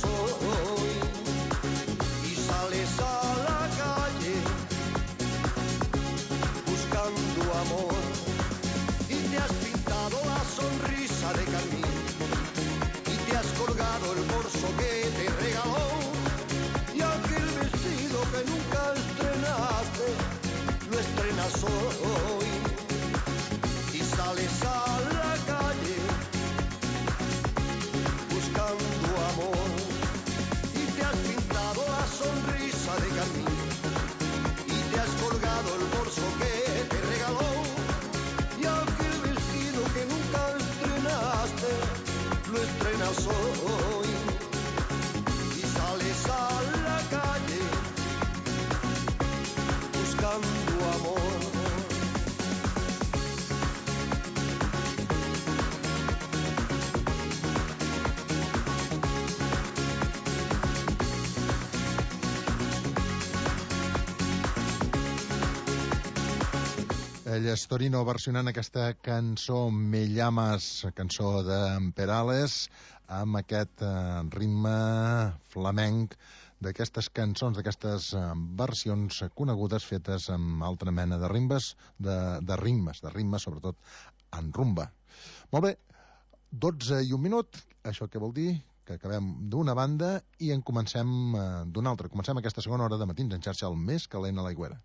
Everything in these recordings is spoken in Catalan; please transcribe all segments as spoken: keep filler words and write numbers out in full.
soy. Y sales a la calle buscando amor y te has pintado la sonrisa de carmín y te has colgado el bolso que te regaló y aquel vestido que nunca estrenaste lo estrenas hoy. Y sales a la calle buscando amor y te has pintado la sonrisa de carmín y te has colgado el bolso que te regaló y aquel vestido que nunca estrenaste lo estrenas hoy. Y sales a la calle buscando amor. Ell és Torino versionant aquesta cançó Me llamas, cançó de Perales, amb aquest eh, ritme flamenc d'aquestes cançons, d'aquestes eh, versions conegudes fetes amb altra mena de rimbes, de, de ritmes, de ritmes sobretot en rumba. Molt bé, dotze i un minut, això què vol dir? Que acabem d'una banda i en comencem eh, d'una altra. Comencem aquesta segona hora de Matins en xarxa, el més calent a l'Aigüera.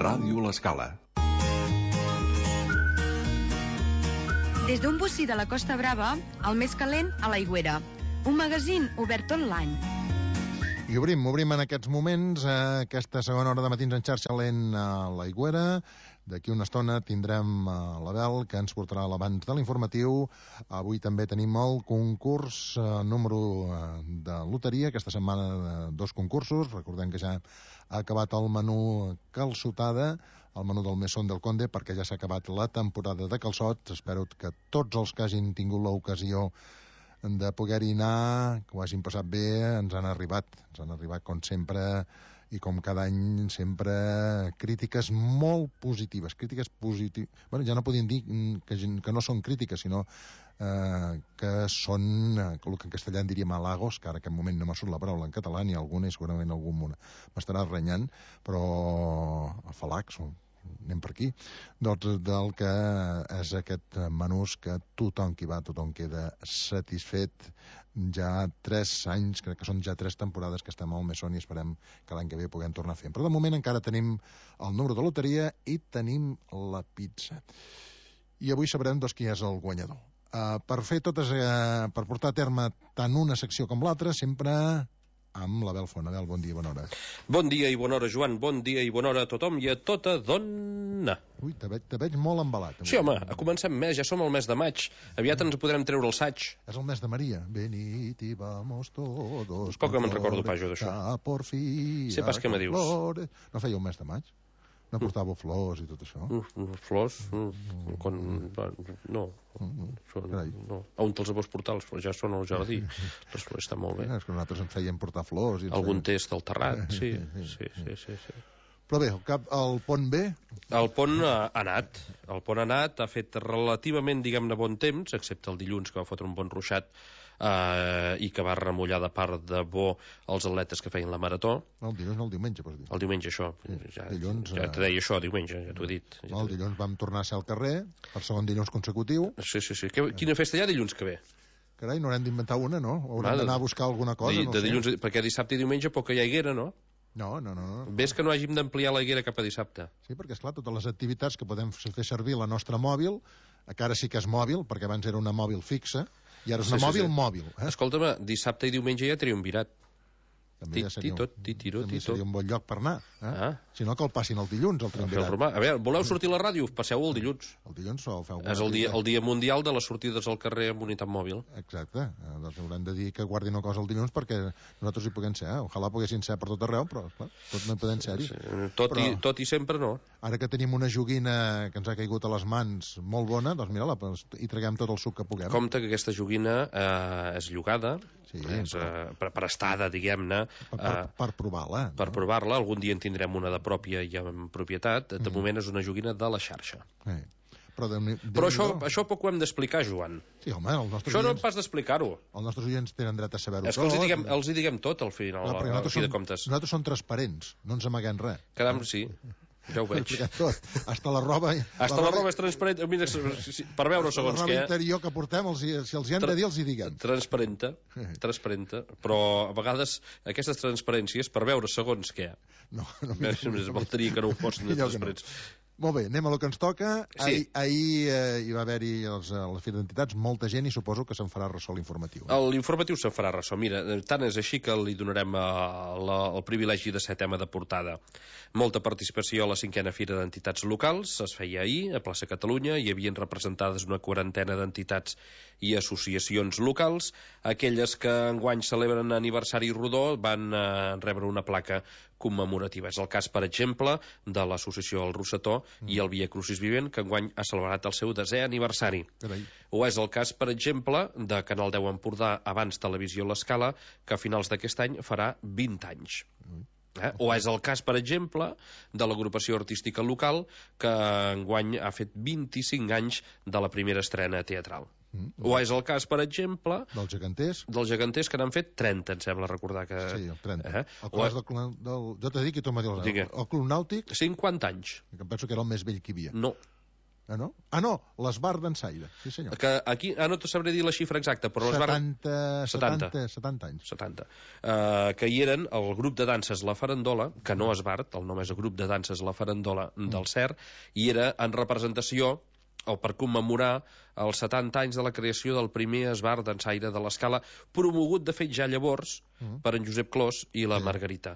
Ràdio L'Escala. Des d'un bocí de la Costa Brava, el més calent a l'Aigüera. Un magazín obert tot l'any. I obrim, obrim en aquests moments eh, aquesta segona hora de Matins en xarxa lent a l'Aigüera. D'aquí una estona tindrem eh, l'Abel, que ens portarà l'abans de l'informatiu. Avui també tenim el concurs eh, número eh, de loteria. Aquesta setmana de dos concursos. Recordem que ja ha acabat el menú calçotada, el menú del Mesón del Conde, perquè ja s'ha acabat la temporada de calçots. Espero que tots els que hagin tingut l'ocasió de poder-hi anar, que ho hagin passat bé, ens han arribat, ens han arribat com sempre i com cada any sempre crítiques molt positives, crítiques positives, bueno, ja no podem dir que, que no són crítiques, sinó eh, que són, eh, el que en castellà en diríem halagos, que ara en aquest moment no m'ha surt la paraula en català, ni alguna, i segurament algun m'estarà renyant, però afalacs, anem per aquí, doncs del que és aquest menús que tothom qui va, tothom queda satisfet. Ja tres anys, crec que són ja tres temporades que estem al Mesón i esperem que l'any que ve puguem tornar a fer. Però de moment encara tenim el número de loteria i tenim la pizza. I avui sabrem doncs qui és el guanyador. Uh, per fer totes, uh, per portar a terme tant una secció com l'altra, sempre amb l'Abel Font. Abel, bon dia i bona hora. Bon dia i bona hora, Joan. Bon dia i bona hora a tothom i a tota dona. Ui, te veig, te veig molt embalat. Sí, home, comencem mes, ja som al mes de maig. Aviat ens podrem treure el saig. És el mes de Maria. Venid i vamos todos. Poc que me'n recordo pas jo d'això. Sé pas què me dius. No feia un mes de maig? No portàveu flors i tot això? Uh, flors? Uh, mm. quan, no. Mm. Són, no. On te'ls vols portar? Ja són al jardí. Les flors estan molt bé. És que nosaltres ens feien portar flors. I Algun feien... test al terrat, sí. Sí, sí, sí, sí. Però bé, el, cap, el pont bé? El pont ha anat. El pont ha anat, ha fet relativament, diguem-ne, bon temps, excepte el dilluns, que va fotre un bon ruixat, eh, i que va remullar de part de bo els atletes que feien la marató. No, el dilluns, no el diumenge, pots dir. El diumenge, això. Sí, ja, dilluns, ja te deia això, diumenge, ja t'ho he dit. Ja no, el dilluns vam tornar a ser al carrer, per segon dilluns consecutiu. Sí, sí, sí. Que, quina festa hi ha dilluns que ve? Carai, no haurem d'inventar una, no? Haurem d'anar a buscar alguna cosa, de, no de sé. dilluns, perquè dissabte i diumenge poc que hi ha haguera, no? No, no, no. no. Ves que no hàgim d'ampliar la higuera cap a dissabte. Sí, perquè, esclar, totes les activitats que podem fer servir la nostra mòbil, que ara sí que és mòbil, perquè abans era una mòbil fixa, i ara és una sí, mòbil sí, sí. mòbil. Eh? Escolta'm, dissabte i diumenge ja triomvirat. També ja seria, Titot, titiro, també tito. seria un bon lloc per anar. Eh? Ah. Si no, que el passin el dilluns, el A fer el triumvirat. romà. A veure, voleu sortir a la ràdio? Passeu el dilluns. El dilluns o feu... És el dia, el dia mundial de les sortides al carrer amb unitat mòbil. Exacte. Eh, doncs haurem de dir que guardin una cosa el dilluns perquè nosaltres hi puguem ser. Eh? Ojalà poguessin ser per tot arreu, però clar, tot no hi podem ser-hi. Sí, tot, però... i, tot i sempre no. Ara que tenim una joguina que ens ha caigut a les mans molt bona, doncs mira-la, hi traguem tot el suc que puguem. Compte que aquesta joguina eh, és llogada, Sí, és però- eh, prestada, diguem-ne, Per, per, eh, per provar-la. per provar-la. Algun dia en tindrem una de pròpia i en propietat. De moment és una joguina de la xarxa. Eh. Però, Déu Però això, això poc ho hem d'explicar, Joan. Sí, home, els nostres, Això no oients, pas d'explicar-ho. els nostres oients tenen dret a saber-ho És que els hi tot. diguem, els hi diguem tot al final, Clar, perquè al nosaltres, fi de som, comptes. nosaltres som transparents, no ens amaguem res. Caram, sí, ja ho veig. Expliquem tot. Hasta la roba... Hasta la roba és transparent. Mira, si- si- per veure la segons roba què. interior que portem, els, hi- si els hi hem Tra- de dir, els hi diguem. Transparenta, transparenta, però a vegades aquestes transparències per veure segons què. No, no, Més, més faltaria que no ho fossin de Millor que no. transparents. Molt bé, anem a lo que ens toca. Sí. Ahir, ahir eh, hi va haver-hi els, eh, les Fira d'Entitats, molta gent, i suposo que se'n farà ressò l'informatiu. L'informatiu se'n farà ressò. Mira, tant és així que li donarem eh, la, el privilegi de ser tema de portada. Molta participació a la cinquena Fira d'Entitats Locals. Es feia ahir, a Plaça Catalunya. Hi havien representades una quarantena d'entitats i associacions locals. Aquelles que enguany celebren aniversari rodó van eh, rebre una placa commemorativa. És el cas, per exemple, de l'associació El Rossetó mm. i el Via Crucis Vivent, que enguany ha celebrat el seu desè aniversari. Carai. O és el cas, per exemple, de Canal deu Empordà, abans Televisió L'Escala, que a finals d'aquest any farà vint anys. Eh? O és el cas, per exemple, de l'agrupació artística local, que enguany ha fet vint-i-cinc anys de la primera estrena teatral. Mm. O és el cas, per exemple, Dels geganters, dels geganters, que n'han fet trenta, em sembla recordar que... sí, el trenta. Eh? El O clas del, clon- del... Jo t'he dit que tu m'ha dit Digue. el, el Club Nàutic, cinquanta anys. que em penso que era el més vell que hi havia. No. Ah, no? Ah, no, l'Esbar d'Ensaire, sí senyor. Que aquí, ah, no te sabré dir la xifra exacta, però les van... setanta, setanta. setanta, setanta anys. setanta. Uh, que hi eren el grup de danses La Farandola, que no és Bart, el nom és el grup de danses La Farandola del C E R, i era en representació o per commemorar els setanta anys de la creació del primer esbar d'ensaire de l'Escala, promogut, de fet, ja llavors Mm. per en Josep Clos i la Margarita.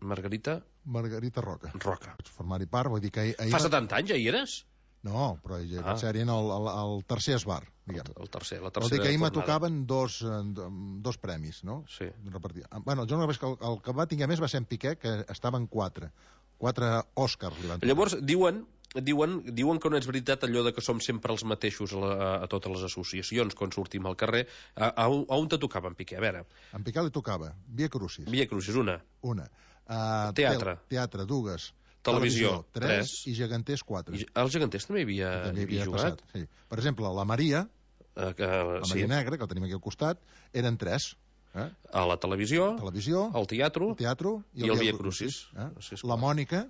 Margarita Margarita Roca. Roca. Vaig formar-hi part, vull dir que ahir... ahir Fa va- setanta anys, ja hi eres? No, però ja Ah. vaig ser en el, el, el tercer esbar, diguem. El tercer, la Vol dir tercera que ahir me tornada. tocaven dos, eh, do- dos premis, no? Sí. Repartir. Ah, bueno, jo no veig que el, el que va tinguer més va ser en Piqué, que estaven quatre. Quatre Òscars li van tocar. Llavors, diuen, diuen, diuen que no és veritat allò de que som sempre els mateixos a, la, a totes les associacions quan sortim al carrer. A, a, on- a on te tocava, en Piqué? A veure, En Piqué li tocava Via Crucis, Via Crucis, una. una. Uh, Teatre. Teatre, dues. Televisió, tres. tres. I geganters, quatre. I els geganters també hi havia, També hi havia havia jugat. passat. Sí. Per exemple, la Maria, Eh, que, la sí, Maria Negra, que la tenim aquí al costat, eren tres. Eh? a la televisió, Televisió, al teatre, el teatre i el Via Crucis. Eh? Sí, esclar. La Mònica,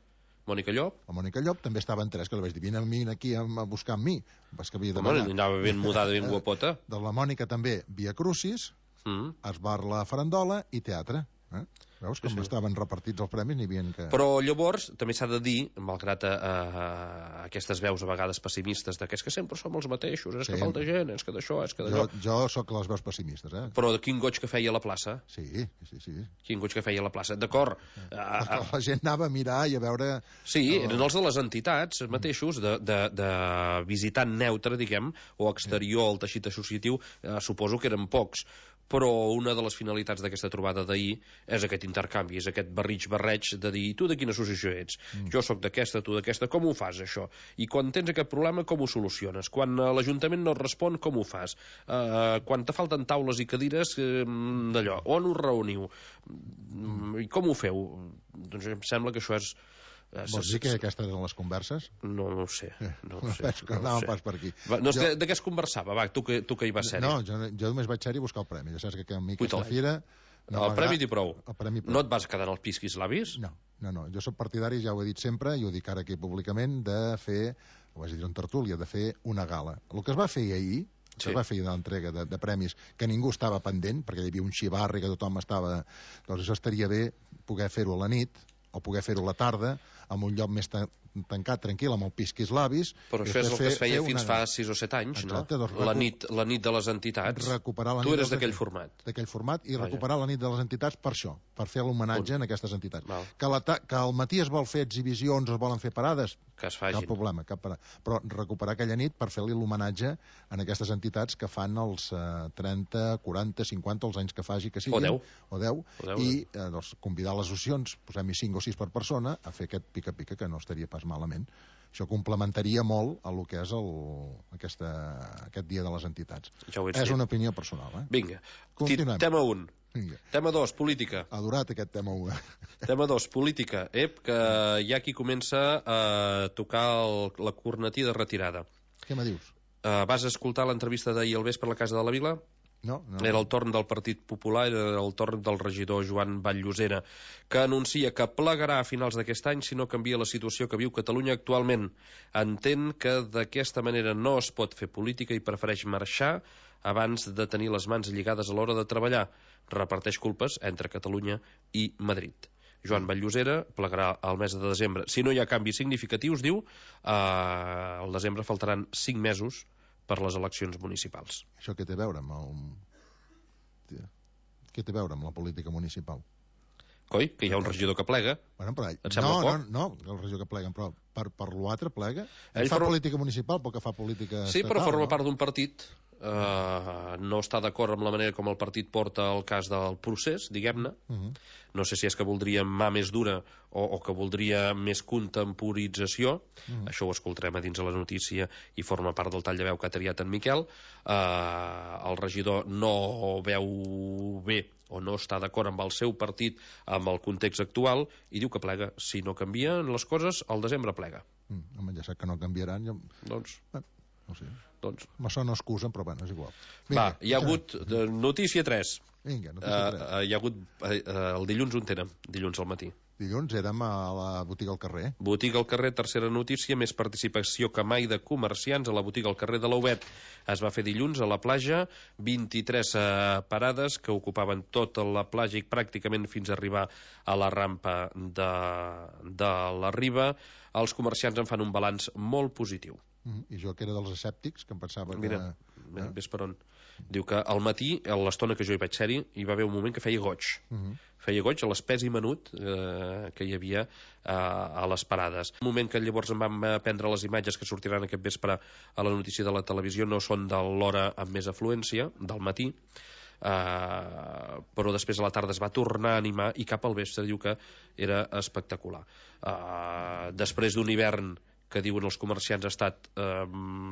Mònica Llop. la Mònica Llop, també estava en tres, que li vaig dir, vine a mi aquí a, a buscar amb mi. Vas que havia de Home, demanar. anava ben mudada, ben guapota. De la Mònica també Via Crucis, Mm. Esbar la Farandola i Teatre. Eh? Veus com Sí, sí. estaven repartits els premis, n'hi havia que... Però llavors també s'ha de dir, malgrat a, a, aquestes veus a vegades pessimistes de que és que sempre som els mateixos, és que Sí. falta gent, és que d'això, és que Jo, d'allò... jo sóc les veus pessimistes, eh? Però de quin goig que feia a la plaça, Sí, sí, sí. quin goig que feia a la plaça, d'acord. A, a, La gent anava a mirar i a veure... sí, eren els de les entitats mateixos, de, de, de visitant neutre, diguem, o exterior al teixit associatiu, eh, suposo que eren pocs, però una de les finalitats d'aquesta trobada d'ahir és aquest intercanvi, és aquest barrig-barreig de dir, tu de quina associació ets? Mm. Jo sóc d'aquesta, tu d'aquesta, com ho fas, això? I quan tens aquest problema, com ho soluciones? Quan uh, l'Ajuntament no et respon, com ho fas? Uh, quan te falten taules i cadires, uh, d'allò, on us reuniu? Mm. I com ho feu? Doncs em sembla que això és... Uh, Vols dir que aquestes eren les converses? No, no ho sé. No ho sé. Penso que no ho anàvem sé. pas per aquí. Va, no, Jo- jo... de què es conversava? Va, tu que, tu que hi vas ser-hi. No, jo, jo només vaig ser-hi a buscar el premi. Ja saps que a mi aquesta Puta, fira... No, el m'agrada- premi t'hi prou. El premi prou. No et vas quedar en els pisquis labis? No, no, no. Jo sóc partidari, ja ho he dit sempre, i ho dic ara aquí públicament, de fer, ho vaig dir en tertúlia, de fer una gala. El que es va fer ahir, que Sí. es va fer d'entrega de, de premis, que ningú estava pendent, perquè hi havia un xivarri que tothom estava... Doncs això estaria bé poder fer-ho a la nit, o poder fer-ho a la tarda, en un lloc més ta- tancat tranquil amb el pisquis labis. Però això és el que es feia fins fa sis o set anys, no? La nit de les entitats. Tu eres d'aquell format. D'aquell format, i recuperar la nit de les entitats per això, per fer l'homenatge en aquestes entitats. Que al matí es vol fer exhibicions, es volen fer parades, cap problema, cap parada. Però recuperar aquella nit per fer-li l'homenatge en aquestes entitats que fan els trenta, quaranta, cinquanta, els anys que faci que siguin. O deu. I convidar les associacions, posem-hi cinc o sis per persona, a fer aquest pica-pica, que no estaria pas malament. Això complementaria molt a lo que és el, aquesta, aquest dia de les entitats. Ja és una opinió personal, eh? Vinga. Continuem. Tema un. Vinga. Tema dos, política. Adorat aquest tema un. Tema dos, política. Ep, que hi ha qui comença a tocar el, la cornetí de retirada. Què me dius? Uh, vas escoltar l'entrevista d'ahir al vespre a la Casa de la Vila? No, no. Era el torn del Partit Popular, era el torn del regidor Joan Vall-llosera, que anuncia que plegarà a finals d'aquest any si no canvia la situació que viu Catalunya actualment. Entén que d'aquesta manera no es pot fer política i prefereix marxar abans de tenir les mans lligades a l'hora de treballar. Reparteix culpes entre Catalunya i Madrid. Joan Vall-llosera plegarà al mes de desembre. Si no hi ha canvis significatius, diu, eh, al desembre faltaran cinc mesos per les eleccions municipals. Això què té a veure amb el... Què té a veure amb la política municipal? Coi, que hi ha un regidor que plega. Bueno, però... Et sembla no, poc? No, no, el regidor que plega, però per, per l'altre plega. Ell fa forma... política municipal, però que fa política sí, estatal. Però forma no? part d'un partit. Uh, no està d'acord amb la manera com el partit porta el cas del procés, diguem-ne. Uh -huh. No sé si és que voldria mà més dura o, o que voldria més contemporització. Uh -huh. Això ho escoltarem a dins de la notícia i forma part del tall de veu que ha triat en Miquel. Uh, el regidor no veu bé o no està d'acord amb el seu partit, amb el context actual, i diu que plega. Si no canvien les coses, al desembre plega. Mm, home, ja sap que no canviaran. Jo... Doncs... Bueno, no sé. Doncs... Me sona excusa, però bueno, és igual. Vinga, va, hi ha hagut de, notícia tres. Vinga, notícia tres. Uh, uh, hi ha hagut uh, el dilluns on tenen, dilluns al matí. Dilluns érem a la botiga al carrer. Botiga al carrer, tercera notícia, més participació que mai de comerciants a la botiga al carrer de l'Aubet. Es va fer dilluns a la platja, vint-i-tres uh, parades que ocupaven tota la platja i pràcticament fins a arribar a la rampa de, de la Riba. Els comerciants en fan un balanç molt positiu. Mm, I jo, que era dels escèptics, que em pensava que... Mira, mira, ves per on. Diu que al matí, a l'estona que jo hi vaig ser-hi, hi va haver un moment que feia goig. Uh -huh. Feia goig a l'espès i menut eh, que hi havia eh, a les parades. Un moment que llavors em vam prendre les imatges que sortiran aquest vespre a la notícia de la televisió no són de l'hora amb més afluència, del matí, Uh, però després a la tarda es va tornar a animar i cap al vespre diu que era espectacular. Uh, després d'un hivern que diuen els comerciants ha estat uh,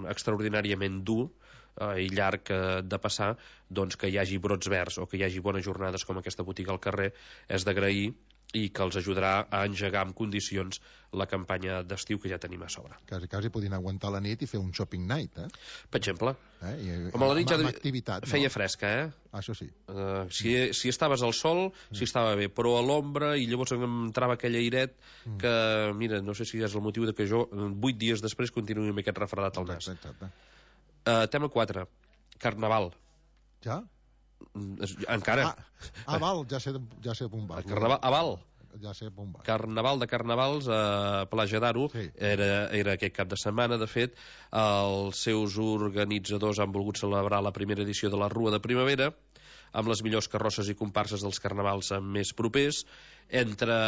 extraordinàriament dur uh, i llarg uh, de passar, doncs que hi hagi brots verds o que hi hagi bones jornades com aquesta botiga al carrer és d'agrair i que els ajudarà a engegar en condicions la campanya d'estiu que ja tenim a sobre. Quasi, quasi podien aguantar la nit i fer un shopping night, eh? Per exemple. Eh? I, Home, la nit ja activitat, feia no? fresca, eh? Ah, això sí. Uh, si, si estaves al sol, mm. si estava bé, però a l'ombra, i llavors entrava aquell airet mm. que, mira, no sé si és el motiu de que jo, vuit dies després, continuï amb aquest refredat al nas. Exacte. Uh, tema quatre. Carnaval. Ja? Encara. Ah, ah val, ja sé, ja sé on vas. Carnaval, a Val. Ja sé on vas. Carnaval de Carnavals a Platja d'Aro. Sí. Era, era aquest cap de setmana, de fet. Els seus organitzadors han volgut celebrar la primera edició de la Rua de Primavera amb les millors carrosses i comparses dels carnavals més propers. Entre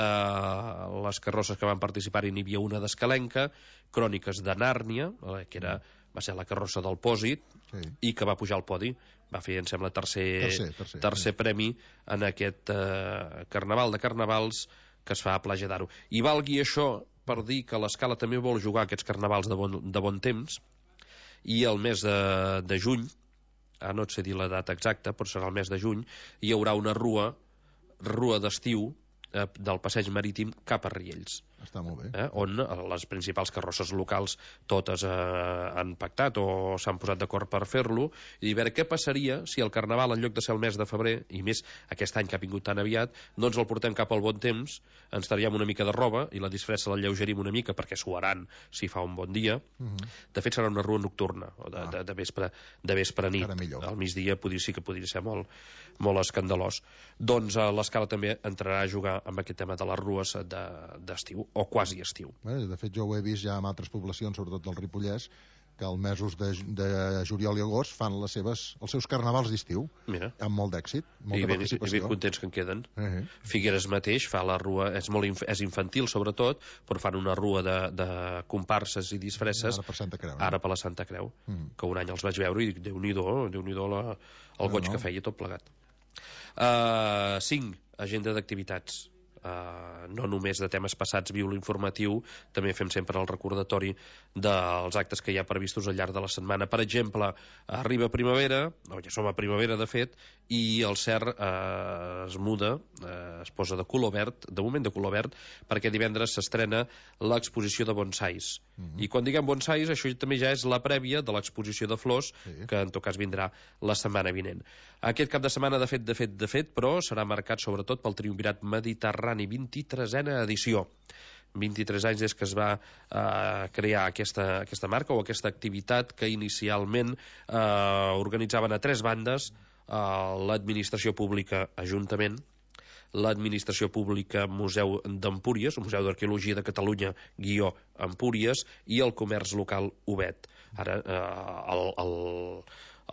les carrosses que van participar-hi n'hi havia una d'Escalenca, Cròniques de Nàrnia, que era, va ser la carrossa del Pòsit, sí. I que va pujar al podi. Va fer, em sembla, tercer, tercer, tercer, tercer sí. premi en aquest eh, Carnaval de Carnavals que es fa a Platja d'Aro. I valgui això per dir que l'Escala també vol jugar aquests carnavals de bon, de bon temps, i el mes de, de juny, ah, no et sé dir la data exacta, però serà el mes de juny, hi haurà una rua, rua d'estiu, eh, del passeig marítim cap a Riells. Està molt bé. Eh, on les principals carrosses locals totes eh, han pactat o s'han posat d'acord per fer-lo, i a veure què passaria si el Carnaval, en lloc de ser el mes de febrer, i més aquest any que ha vingut tan aviat, no ens el portem cap al bon temps, ens traiem una mica de roba i la disfressa la lleugerim una mica perquè suaran si fa un bon dia. Uh -huh. De fet serà una rua nocturna, o de, ah. de, de, vespre, de vespre nit. Al migdia podria, sí que podria ser molt, molt escandalós. Doncs eh, l'Escala també entrarà a jugar amb aquest tema de les rues d'estiu. De, o quasi estiu. Bé, de fet, jo ho he vist ja en altres poblacions, sobretot del Ripollès, que als mesos de, de juliol i agost fan les seves, els seus carnavals d'estiu. Mira. Amb molt d'èxit, molta I ben, participació. I ben contents que en queden. Uh -huh. Figueres mateix fa la rua, és molt inf és infantil sobretot, però fan una rua de, de comparses i disfresses. Ara per Santa Creu. Ara per la Santa Creu, uh -huh. que un any els vaig veure i dic, Déu-n'hi-do, Déu-n'hi-do la, el goig no, no. que feia tot plegat. Uh, cinc, agenda d'activitats. Uh, no només de temes passats viu l'informatiu, també fem sempre el recordatori dels actes que hi ha previstos al llarg de la setmana. Per exemple, arriba primavera, no, ja som a primavera de fet, i el cert uh, es muda, uh, es posa de color verd, de moment de color verd, perquè divendres s'estrena l'exposició de bonsais. Mm-hmm. I quan diguem bonsais, això també ja és la prèvia de l'exposició de flors, sí. que en tot cas vindrà la setmana vinent. Aquest cap de setmana, de fet, de fet, de fet, però serà marcat sobretot pel Triumvirat Mediterrani, vint-i-tresena edició. vint-i-tres anys des que es va eh, crear aquesta, aquesta marca o aquesta activitat que inicialment eh, organitzaven a tres bandes, eh, l'administració pública Ajuntament, l'administració pública Museu d'Empúries, el Museu d'Arqueologia de Catalunya, guió Empúries, i el comerç local Obet. Ara, eh, el... el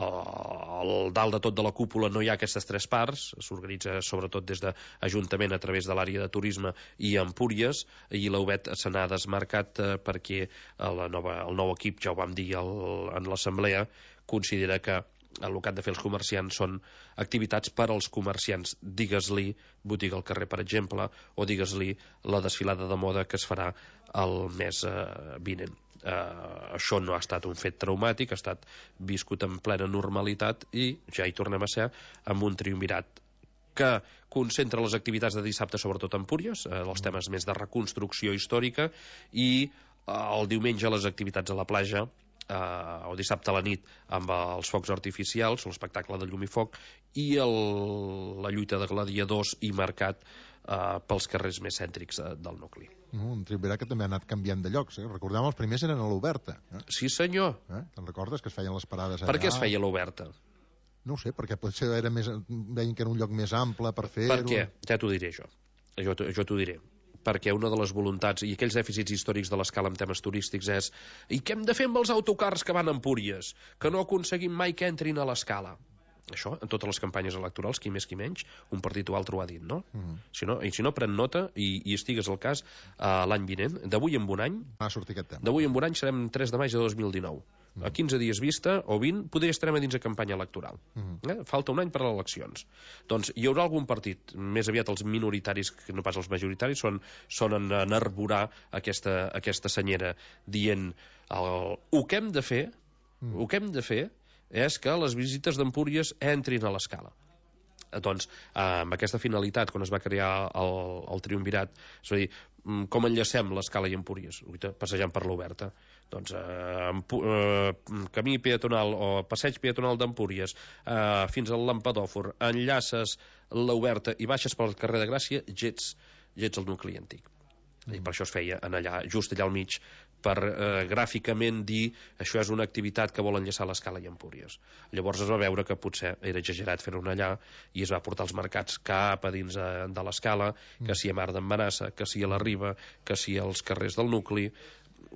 al dalt de tot de la cúpula no hi ha aquestes tres parts, s'organitza sobretot des de Ajuntament a través de l'àrea de turisme i Empúries, i l'Obet se n'ha desmarcat eh, perquè la nova, el nou equip, ja ho vam dir el, en l'assemblea, considera que el que han de fer els comerciants són activitats per als comerciants, digues-li botiga al carrer, per exemple, o digues-li la desfilada de moda que es farà el mes eh, vinent. Uh, això no ha estat un fet traumàtic, ha estat viscut en plena normalitat i ja hi tornem a ser amb un triumvirat que concentra les activitats de dissabte sobretot a Empúries, uh, els temes més de reconstrucció històrica, i uh, el diumenge les activitats a la platja, uh, o dissabte a la nit amb els focs artificials, l'espectacle de llum i foc, i el, la lluita de gladiadors i mercat uh, pels carrers més cèntrics uh, del nucli. Un triumvirat que també ha anat canviant de llocs. Eh? Recordem, els primers eren a l'Oberta. Eh? Sí, senyor. Eh? Te'n recordes que es feien les parades allà? Per què es feia l'Oberta? No ho sé, perquè potser era més, veien que era un lloc més ample per fer-ho. Per què? Ja t'ho diré jo. Jo, jo t'ho diré. Perquè una de les voluntats i aquells dèficits històrics de l'escala en temes turístics és i què hem de fer amb els autocars que van a Empúries? Que no aconseguim mai que entrin a l'escala. Això, en totes les campanyes electorals, qui més qui menys, un partit o altre ho ha dit, no? Mm. Si no, i si no, pren nota i, i estigues al cas uh, l'any vinent, d'avui en un any, va sortir aquest tema. D'avui en un any serem tres de maig de dos mil dinou. Mm. A quinze dies vista, o vint, potser estarem a dins de campanya electoral. Mm. Eh? Falta un any per a les eleccions. Doncs hi haurà algun partit, més aviat els minoritaris, que no pas els majoritaris, són, són en, en arborar aquesta, aquesta senyera, dient el, el que hem de fer, mm. el que hem de fer és que les visites d'Empúries entrin a l'escala. Doncs, amb aquesta finalitat, quan es va crear el, el triumvirat, és a dir, com enllacem l'escala i Empúries, passejant per l'Oberta, doncs eh, eh, camí peatonal o passeig peatonal d'Empúries eh, fins al Lampadòfor, enllaces l'Oberta i baixes pel carrer de Gràcia, gets, gets el nucli antic. Mm. I per això es feia en allà, just allà al mig, per eh, gràficament dir això és una activitat que vol enllaçar l'escala i Empúries. Llavors es va veure que potser era exagerat fer-ho allà i es va portar els mercats cap a dins eh, de l'escala, que si a Mar d'en Manassa, que si a la Riba, que si als carrers del nucli,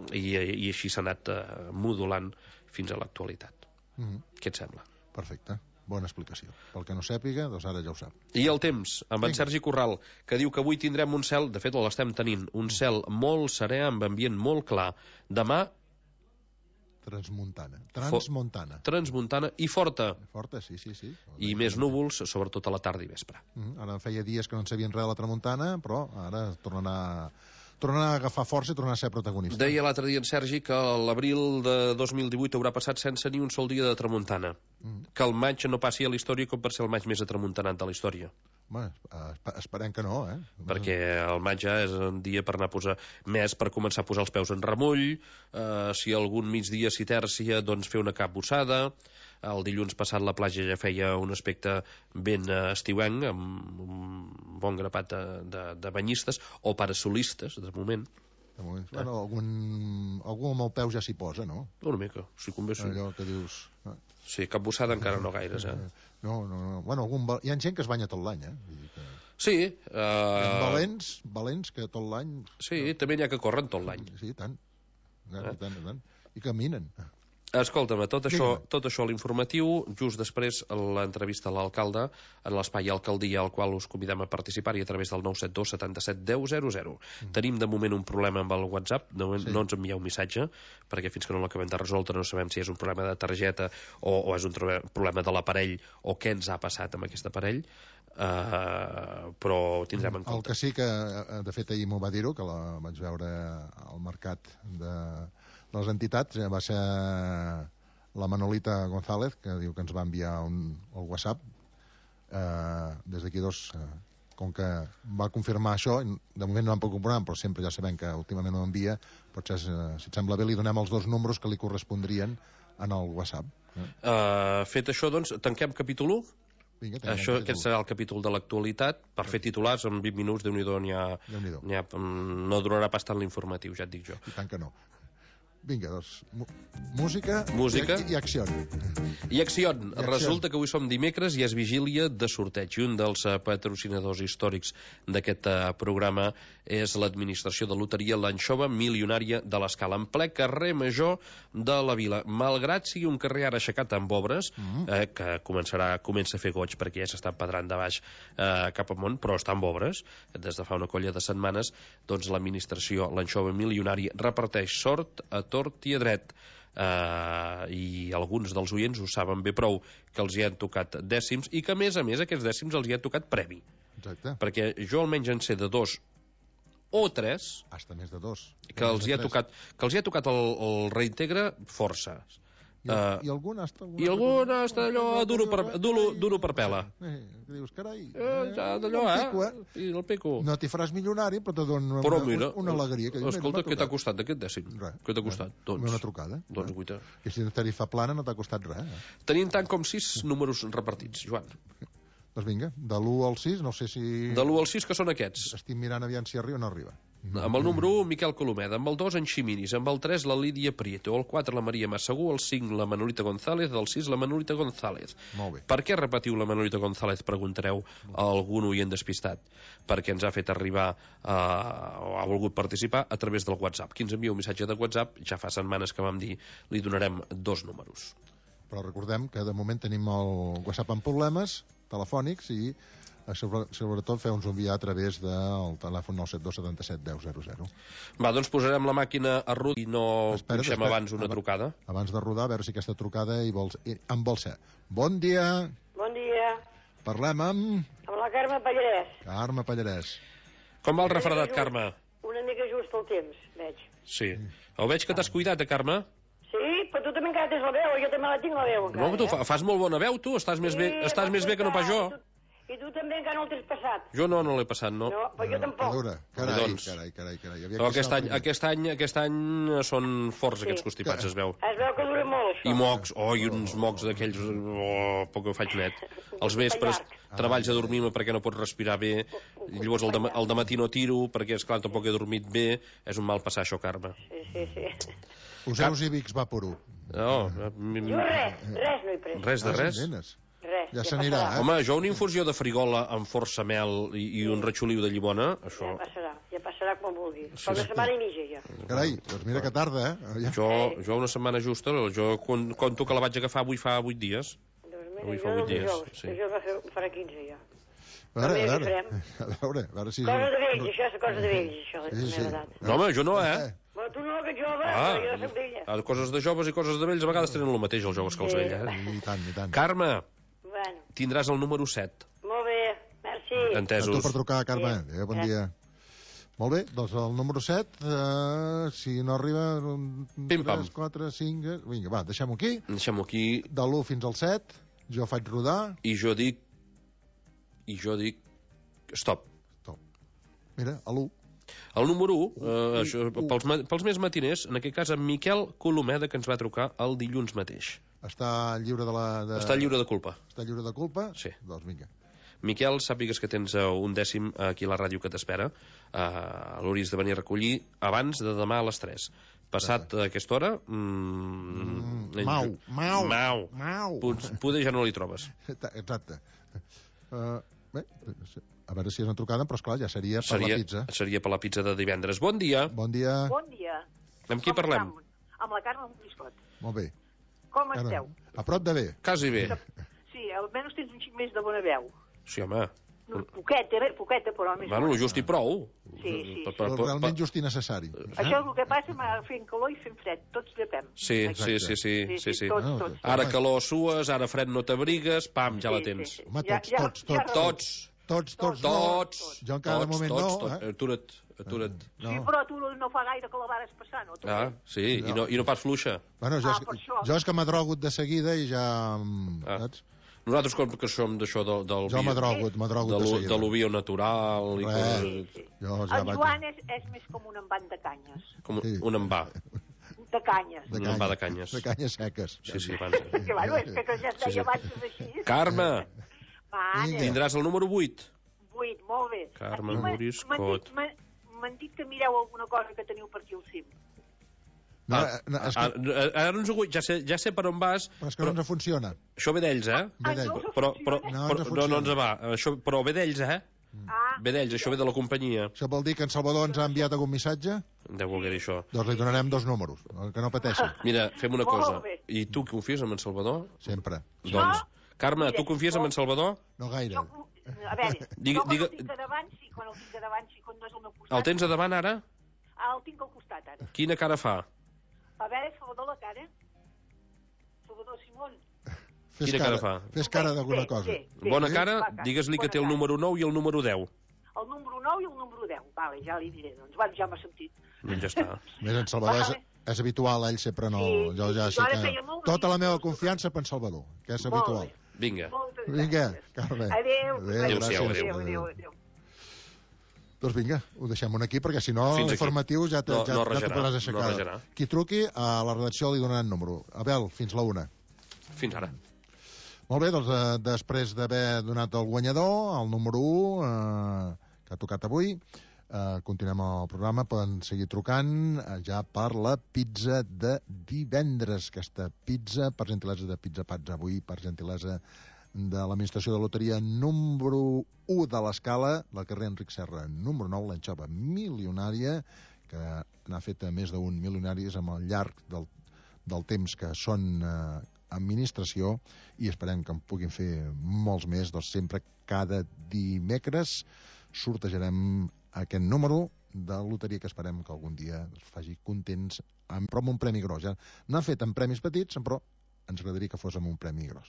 i, i així s'ha anat eh, modulant fins a l'actualitat. Mm. Què et sembla? Perfecte. Bona explicació. Pel que no sàpiga, doncs ara ja ho sap. I el temps, amb en Sergi Corral, que diu que avui tindrem un cel, de fet l'estem tenint, un cel molt serè, amb ambient molt clar. Demà... Transmuntana. Transmuntana. Transmuntana i forta. Forta, sí, sí, sí. I més núvols, sobretot a la tarda i vespre. Mm, ara feia dies que no en sabien res de la tramuntana, però ara tornarà... tornarà a agafar força i tornarà a ser protagonista. Deia l'altre dia en Sergi que l'abril de dos mil divuit haurà passat sense ni un sol dia de tramuntana. Mm. Que el maig no passi a la història com per ser el maig més atramuntanat de la història. Bé, esperem que no, eh? Perquè el maig ja és un dia per anar a posar més, per començar a posar els peus en remull, eh, si algun migdia s'hi tèrcia, doncs fer una capbussada. El dilluns passat la platja ja feia un aspecte ben estiuenc, amb un bon grapat de, de, de banyistes o parasolistes, de moment. De moment. Eh? Bueno, algun, algú amb el peu ja s'hi posa, no? Una mica, si convé. Allò que dius... Sí, capbussada encara no gaires, eh? No, no, no. Bueno, algun... hi ha gent que es banya tot l'any, eh? Vull dir que... Sí. Uh... Valents, valents, que tot l'any... Sí, també n'hi ha que corren tot l'any. Sí, tant. Tant, eh? tant, tant. I caminen. Escolta'm, tot això, tot això a l'informatiu, just després l'entrevista a l'alcalde en l'espai Alcaldia, al qual us convidem a participar-hi a través del nou set dos setanta-set deu zero zero. Mm. Tenim de moment un problema amb el WhatsApp, no, sí. no ens envieu un missatge, perquè fins que no l'acabem de resoldre no sabem si és un problema de targeta o, o és un problema de l'aparell o què ens ha passat amb aquest aparell, uh, però tindrem en compte. El que sí que, de fet, ahir m'ho va dir-ho, que la vaig veure al mercat de... les entitats, va ser la Manolita González, que diu que ens va enviar un, el WhatsApp. Eh, des d'aquí dos, eh, com que va confirmar això, de moment no vam pogut comprovar, però sempre ja sabem que últimament ho envia, potser, eh, si et sembla bé, li donem els dos números que li correspondrien en el WhatsApp. Eh? Uh, fet això, doncs, tanquem capítol u? Vinga, això, aquest serà el capítol de l'actualitat. Per fer titulars, en vint minuts, Déu-n'hi-do, n'hi ha, n'hi ha, no durarà pas tant l'informatiu, ja et dic jo. I tant que no. Vinga, doncs, música, música. I, i acció. I acció. Resulta que avui som dimecres i és vigília de sorteig. I un dels patrocinadors històrics d'aquest programa és l'administració de loteria l'Anxova Milionària de l'Escala, en ple carrer Major de la Vila. Malgrat sigui un carrer ara aixecat amb obres, mm. eh, que començarà, comença a fer goig perquè ja s'està empedrant de baix eh, cap amunt, però està amb obres des de fa una colla de setmanes, doncs l'administració, l'Anxova Milionària, reparteix sort a tort i a dret. Uh, i alguns dels oients ho saben bé prou, que els hi han tocat dècims i que a més a més aquests dècims els hi han tocat premi. Exacte. Perquè jo almenys en sé de dos o tres hasta més de dos que els hi ha tocat, que els hi ha tocat el, el reintegre força. I, uh, i algun està... I algun està allò duro per, duro, duro per pela. Eh, dius, carai... Eh, ja d'allò, eh? Pico, eh? I el pico. No t'hi faràs milionari, però te dona però una, mira, una alegria. Que escolta, què t'ha costat d'aquest dècim? Res. Què t'ha costat? Res. Doncs, una trucada. Doncs guita. Que si no tarifa plana no t'ha costat res. Eh? Tenim tant com sis números repartits, Joan. Doncs vinga, de l'u al sis, no sé si... De l'u al sis, que són aquests. Estic mirant aviam si arriba o no arriba. Amb el número un, Miquel Colomeda. Amb el dos, en Ximinis. Amb el tres, la Lídia Prieto. El quatre, la Maria Massagú. El cinc, la Manolita González. El sis, la Manolita González. Molt bé. Per què repetiu la Manolita González, preguntareu a algun oient despistat? Perquè ens ha fet arribar uh, o ha volgut participar a través del WhatsApp. Qui ens envia un missatge de WhatsApp, ja fa setmanes que vam dir, li donarem dos números. Però recordem que de moment tenim el WhatsApp amb problemes telefònics i sobre, sobretot fer-nos enviar a través del telèfon nou set dos setanta-set deu zero zero. Va, doncs posarem la màquina a rut i no espera, punxem espera, abans una trucada. Abans de rodar, a veure si aquesta trucada hi vols, hi, en vol ser. Bon dia. Bon dia. Parlem amb... Amb la Carme Pallarès. Carme Pallarès. Com va el refredat, Carme? Una mica just el temps, veig. Sí. Ho veig que t'has cuidat, eh, Carme? Sí, però tu també encara tens la veu, jo també la tinc la veu encara. No, tu eh? fas molt bona veu, tu, estàs, sí, més, bé, estàs més bé que no pas jo. I tu també encara no el tens passat. Jo no, no l'he passat, no. No, però jo tampoc. Veure, carai, doncs, carai, carai, carai. No, aquest, any, aquest, any, aquest any són forts, sí, aquests constipats, que... es veu. Es veu que dura molt, això. I mocs, oh, i uns mocs d'aquells, oh, poc que ho faig net. Els vespres treballs a dormir-me perquè no pots respirar bé, i llavors el de, el de matí no tiro, perquè, esclar, tampoc he dormit bé. És un mal passar, això, Carme. Sí, sí, sí. Poseu-vos i Vicks Vaporú. No, jo res, res no he pres. Res de res? Res, ja s'anirà, eh? Home, jo una infusió de frigola amb força mel i, i un ratxoliu de llimona, això... Ja passarà, ja passarà quan vulgui. Sí, fa una setmana i mitja, ja. Carai, doncs mira que tarda, eh? Ja. Jo, jo una setmana justa, jo conto que la vaig agafar avui fa vuit dies. Doncs mira, avui jo fa vuit dies, jo, sí. Jo farà quinze, ja. A veure, a veure, a veure, a veure si... Cosa de vells, això és cosa de vells, això, sí, sí. No, home, jo no, eh? Però tu no, que jove, ah, jo soc vella. Coses de joves i coses de vells a vegades tenen el mateix, els joves que els vells, eh? I tant, i tant. Carme, bueno. Tindràs el número set. Molt bé, merci. Entesos. A tu per trucar, Carme. Sí. Adéu, bon dia. Molt bé, doncs el número set, eh, si no arriba... tres, quatre, cinc... Vinga, va, deixem-ho aquí. Deixem-ho aquí. De l'u fins al set, jo faig rodar... I jo dic... I jo dic... Stop. Stop. Mira, a l'u. El número u, eh, això, pels, pels més matiners, en aquest cas en Miquel Colomeda, que ens va trucar el dilluns mateix. Està lliure de la... De... Està lliure de culpa. Està lliure de culpa? Sí. Doncs vinga. Miquel, sàpigues que tens un dècim aquí a la ràdio que t'espera. Uh, L'hauries de venir a recollir abans de demà a les tres. Passat a aquesta hora... Mm, mm, mau, mau, mau. Mau. Poder ja no li trobes. Exacte. Uh, bé, a veure si és una trucada, però esclar, ja seria per Seria, la pizza. seria per la pizza de divendres. Bon dia. Bon dia. Bon dia. Amb qui Com parlem? estam? Amb la Carme Moriscot. Molt bé. Com Carme, esteu? a prop de bé. Quasi bé. Sí, almenys tens un xic més de bona veu. Sí, home. No, poqueta, eh? poqueta, però més Bueno, bona. lo just i prou. Sí, sí. Per- per- Però per- realment just i necessari. Això és el que passa amb fent calor i fent fred. Tots llepem. Sí, sí, sí, sí, Sí, sí, sí, sí. tots, Ah, tots. Ara calor sues, ara fred no t'abrigues, pam, ja la Sí, tens. sí, sí. Home, Ja- tots, ja- tots, ja tots. recordo. Tots, Tots, tots, no. tots. Jo encara de tots, moment tots, no, tots. eh? Atura't, atura't. No. Sí, però tu no fa gaire que la vares passar, no? Tu, Ah, sí, i no, i no pas fluixa. Bueno, jo, Ah, és, per això. jo és que m'adrogut de seguida i ja... mm, Ah. Saps? Nosaltres, com que som d'això del, del, Jo bio- m'adrogut, de, m'adrogut de lo, seguida. de lo bio natural i Res. coses, Sí, sí. Jo ja El vaig... Joan és, és més com un envant de canyes. com Sí. un envà. De canyes. De Un envà de canyes. De canyes seques. Sí, sí, abans. Que, bueno, és que ja es Sí, sí. deia abans així. Carme, Mare, Vinga. tindràs el número vuit. vuit, molt bé. Carme Aquí m'ha- Moriscot. m'han dit- m'han- M'han dit que mireu alguna cosa que teniu per aquí al cim. No, Ah, no, és que, ah, ara no ens ho vull, ja sé, ja sé per on vas, però és que no ens funciona. això ve d'ells, eh? Ve Ah, d'ell. no? Però, però, No, però, ens no, no ens funciona. va, això, però ve d'ells, eh? Ah, Ve d'ells, això ve de la companyia. Això vol dir que en Salvador ens ha enviat algun missatge? Deu voler dir això. Doncs li donarem dos números, que no pateixi, Mira, fem una Molt cosa. bé. I tu confies en en Salvador? sempre. Doncs, Carme, mira, tu confies en en Salvador? No gaire. jo, a veure, Diga- jo quan diga- el tinc a davant, sí, quan el tinc a davant, sí, quan no és al meu costat. El tens a davant ara? Ah, el tinc al costat, ara. Quina cara fa? A veure, Salvador, la cara. Salvador Simón. Fes Quina cara fa? Fes cara Bé, d'alguna bé, cosa. bé, bé. Bona Sí, cara, fa cara. digues-li que Bona té el cara. número nou i el número deu. El número nou i el número deu. Vale, ja li diré, doncs. Vale, ja m'ha sentit. Doncs ja està. Més en Salvador és, Vale. és habitual, ell sempre no... Sí, Jo ja sí, sé jo ara que... feia molt Tota la bé. meva confiança per en Salvador, que és Molt habitual. bé. Vinga. Moltes Vinga, gràcies. Carme. Adéu. Adéu, Adéu-siau, gràcies. Adéu, adéu, adéu. Doncs vinga, ho deixem aquí, perquè si no, Fins aquí. l'informatiu ja, te, No- ja, no ja t'ho rajarà, podràs no aixecar. rajarà. Qui truqui, a la redacció li donaran número. Abel, fins la una. Fins ara. Molt bé, doncs eh, després d'haver donat el guanyador, el número u, eh, que ha tocat avui, eh, continuem el programa, poden seguir trucant eh, ja per la pizza de divendres. Aquesta pizza, per gentilesa de Pizza Pats avui, per gentilesa de l'administració de loteria número u de l'escala, del carrer Enric Serra, número nou, l'anxova milionària, que n'ha fet a més d'un milionaris amb el llarg del, del temps que són eh, administració, i esperem que en puguin fer molts més. Doncs sempre cada dimecres sortejarem aquest número de loteria que esperem que algun dia ens faci contents, amb, però amb un premi gros. Ja n'han fet amb premis petits, però ens agradaria que fos amb un premi gros.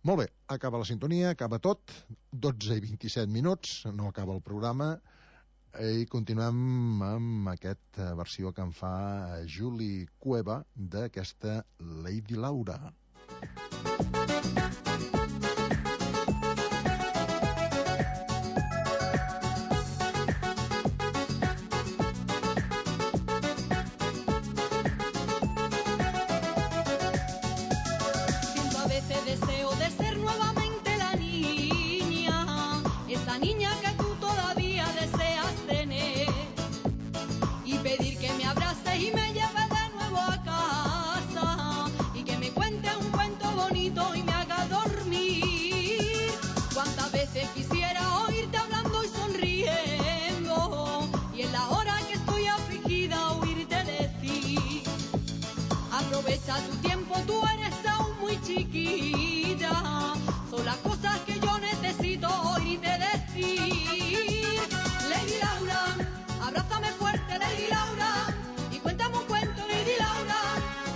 Molt bé, acaba la sintonia, acaba tot, dotze i vint-i-set minuts, no acaba el programa, i continuem amb aquesta versió que en fa Juli Cueva d'aquesta Lady Laura. Siento a veces deseo de ser nuevamente la niña, esa niña que tú todavía deseas tener, y pedir que me abraces y me lleves de nuevo a casa, y que me cuente un cuento bonito y me haga dormir. Cuántas veces quisiera oírte hablando y sonriendo, y en la hora que estoy afligida oírte decir: aprovecha tu tiempo, tú eres aún muy chiquita. Son las cosas que yo necesito oírte decir. Lady Laura, abrázame fuerte, Lady Laura, y cuéntame un cuento, Lady Laura.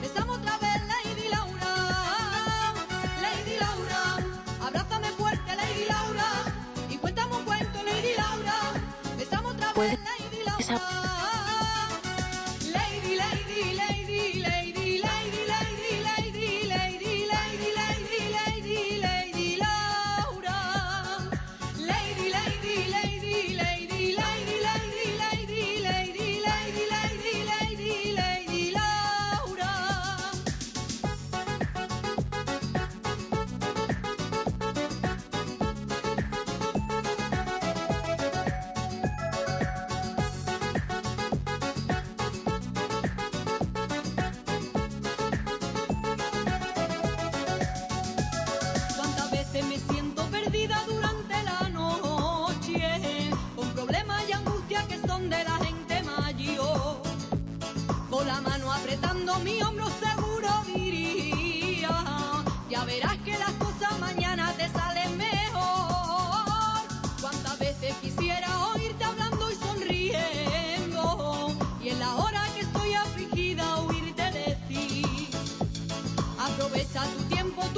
Besamos otra vez, Lady Laura. Lady Laura, abrázame fuerte, Lady Laura, y cuéntame un cuento, Lady Laura. Besamos otra vez, Lady Laura. Lady, lady, lady, lady, lady, lady, lady, lady, lady, lady, lady, lady Laura. Lady, lady, lady, lady, lady, lady, lady, lady, lady, lady, lady, lady Laura.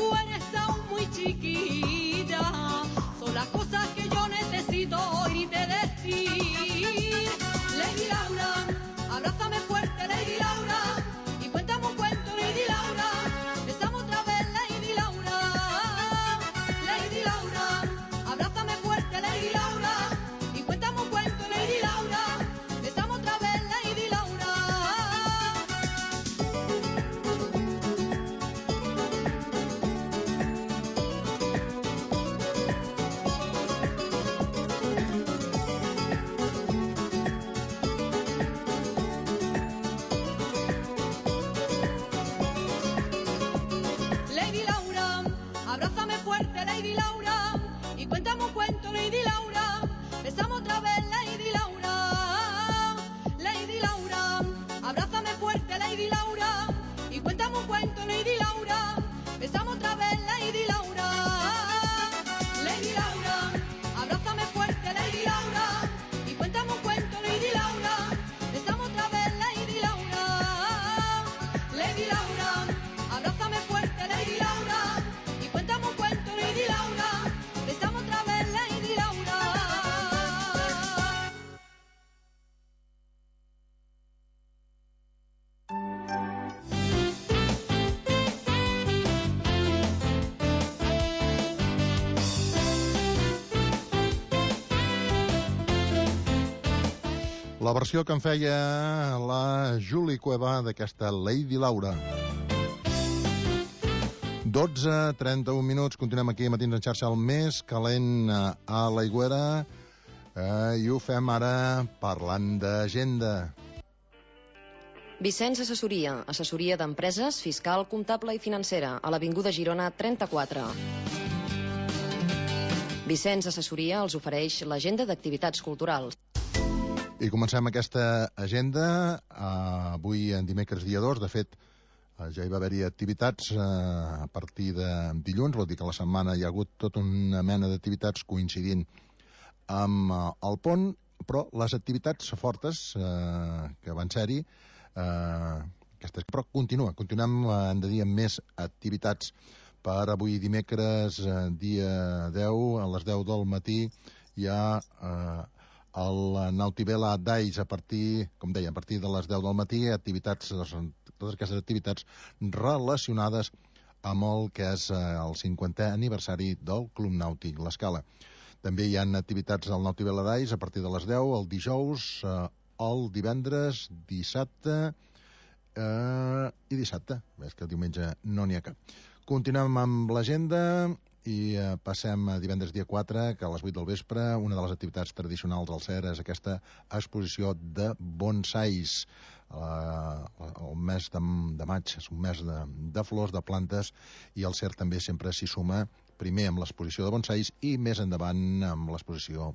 tú eres aún muy chiquilla. Son las cosas que yo necesito oírte decir. Lady Laura, abrázame fuerte, Lady Laura, y cuéntame un cuento, Lady Laura. Besamos otra vez, Lady Laura. Lady Laura, abrázame fuerte, Lady Laura, y cuéntame un cuento, Lady Laura. Besamos otra vez, Lady Laura. Lady Laura, abrázame fuerte, Lady Laura, y cuéntame un cuento, Lady Laura. Besamos otra vez, Lady Laura. Lady Laura, abrázame fuerte, Lady Laura, y cuéntame un cuento, Lady Laura. Besamos otra vez, Lady Laura. Lady Laura, abrázame fuerte, Lady Laura, y cuéntame un cuento, Lady Laura. Besamos otra vez, Lady Laura. Lady Laura, abrázame fuerte, Lady Laura, y cuéntame un cuento, Lady Laura. Besamos otra vez, Lady Laura. La versió que en feia la Julie Cueva d'aquesta Lady Laura. dotze trenta-un minuts, continuem aquí a Matins en xarxa, el més calent eh, a l'Aigüera, eh, i ho fem ara parlant d'agenda. Vicenç Assessoria, assessoria d'empreses, fiscal, comptable i financera, a l'Avinguda Girona trenta-quatre. Vicenç Assessoria els ofereix l'agenda d'activitats culturals. I comencem aquesta agenda eh, avui en dimecres dia dos. De fet, eh, ja hi va haver-hi activitats eh, a partir de dilluns, vol dir que la setmana hi ha hagut tota una mena d'activitats coincidint amb eh, el pont, però les activitats fortes eh, que van ser-hi, eh, aquestes, però continua, continuem eh, hem de dir amb més activitats. Per avui dimecres, eh, dia deu, a les deu del matí, hi ha eh, el Nautivela d'Ais a partir, com deia, a partir de les deu del matí, activitats, totes aquestes activitats relacionades amb el que és eh, el cinquantè aniversari del Club Nàutic L'Escala. També hi ha activitats al Nautivela d'Ais a partir de les deu, el dijous, eh, el divendres, dissabte eh, i dissabte. Ves que el diumenge no n'hi ha cap. Continuem amb l'agenda i eh, passem a divendres dia quatre, que a les vuit del vespre una de les activitats tradicionals al C E R és aquesta exposició de bonsais. Eh, el mes de, de maig és un mes de, de flors, de plantes, i el C E R també sempre s'hi suma, primer amb l'exposició de bonsais i més endavant amb l'exposició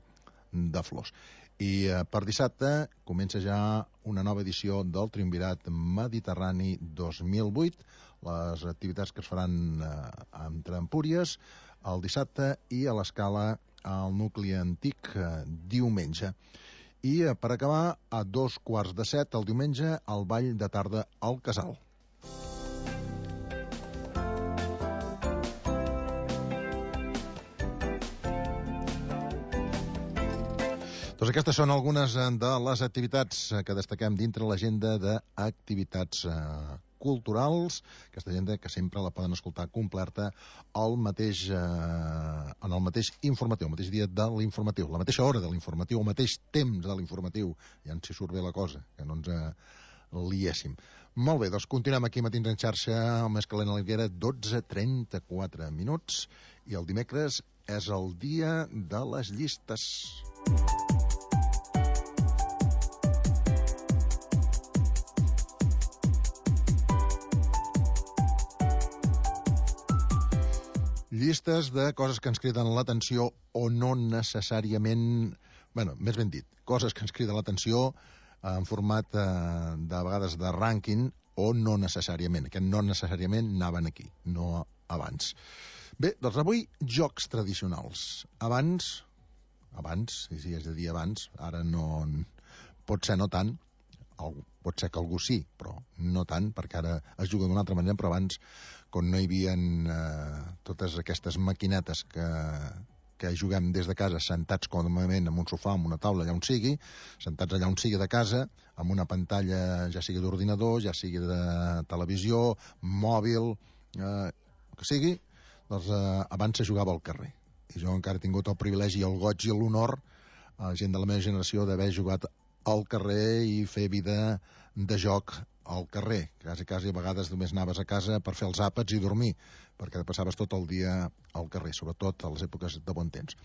de flors. I eh, per dissabte comença ja una nova edició del Triumvirat Mediterrani dos mil vuit, les activitats que es faran eh, entre Empúries el dissabte i a l'Escala al nucli antic eh, diumenge. I eh, per acabar, a dos quarts de set el diumenge, al ball de tarda al Casal. Doncs aquestes són algunes de les activitats que destaquem dintre l'agenda d'activitats eh, culturals, aquesta agenda que sempre la poden escoltar completa al mateix, eh, en el mateix informatiu, el mateix dia de l'informatiu, la mateixa hora de l'informatiu, el mateix temps de l'informatiu, ja ens hi surt bé la cosa, que no ens eh, liéssim. Molt bé, doncs continuem aquí Matins en xarxa, el més calent a l'Alguera, dotze trenta-quatre minuts, i el dimecres és el dia de les llistes. Llistes de coses que ens criden l'atenció o no necessàriament... Bueno, més ben dit, coses que ens criden l'atenció en format eh, de vegades de rànquing o no necessàriament. Aquest no necessàriament anaven aquí, no abans. Bé, doncs avui jocs tradicionals. Abans, abans, sí, sí, és a dir abans, ara no... Pot ser no tant, pot ser que algú sí, però no tant, perquè ara es juga d'una altra manera, però abans, quan no hi havia eh, totes aquestes maquinetes que, que juguem des de casa, sentats còmodament en un sofà, en una taula, allà on sigui, sentats allà on sigui de casa, amb una pantalla, ja sigui d'ordinador, ja sigui de televisió, mòbil, eh, que sigui, doncs eh, abans se jugava al carrer. I jo encara he tingut el privilegi, el goig i l'honor, a gent de la meva generació, d'haver jugat al carrer i fer vida de joc al carrer. Quasi, quasi a vegades només anaves a casa per fer els àpats i dormir, perquè passaves tot el dia al carrer, sobretot a les èpoques de bon temps.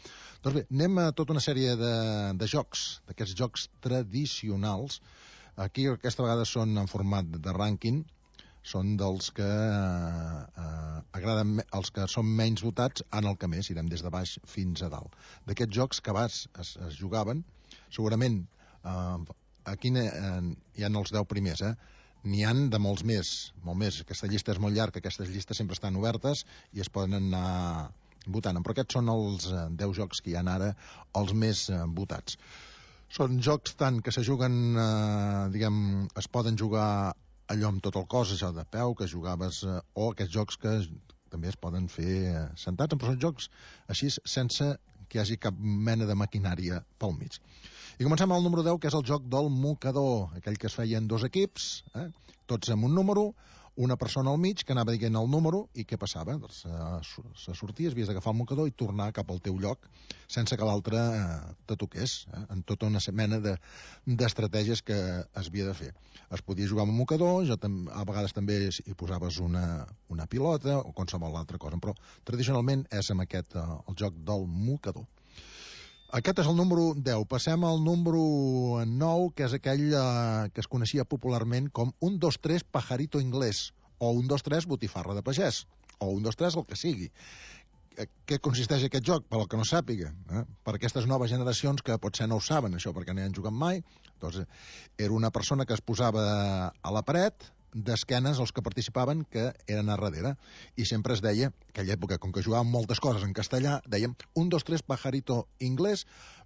Doncs bé, anem a tota una sèrie de, de jocs, d'aquests jocs tradicionals. Aquí aquesta vegada són en format de rànquing, són dels que eh, agraden, els que són menys votats en el que més, irem des de baix fins a dalt. D'aquests jocs que abans es, es jugaven, segurament eh, aquí eh, hi ha els deu primers, eh? N'hi han de molts més, molt més. Aquesta llista és molt llarga, aquestes llistes sempre estan obertes i es poden anar votant, però aquests són els eh, deu jocs que hi ha ara, els més eh, votats. Són jocs tant que se juguen, eh, diguem, es poden jugar allò amb tot el cos, això de peu, que jugaves, eh, o aquests jocs que també es poden fer eh, sentats, però són jocs així sense que hi hagi cap mena de maquinària pel mig. I comencem amb el número deu, que és el joc del mocador, aquell que es feia en dos equips, eh, tots amb un número, una persona al mig que anava dient el número i què passava? Doncs eh, se sortia, havies d'agafar el mocador i tornar cap al teu lloc sense que l'altre eh, te toqués, eh, en tota una mena de, d'estratègies que es havia de fer. Es podia jugar amb un mocador, jo tam, a vegades també hi posaves una, una pilota o qualsevol altra cosa, però tradicionalment és amb aquest, eh, el joc del mocador. Aquest és el número deu. Passem al número nou, que és aquell eh, que es coneixia popularment com un dos tres pajarito inglès, o un dos tres botifarra de pagès, o un dos tres el que sigui. Què consisteix aquest joc? Per al que no sàpiga, eh? Per aquestes noves generacions que potser no ho saben, això, perquè no hi han jugat mai. Doncs era una persona que es posava a la paret, d'esquenes als que participaven, que eren a darrere, i sempre es deia, en aquella època, com que jugàvem moltes coses en castellà, dèiem un, dos, tres, pajarito inglès.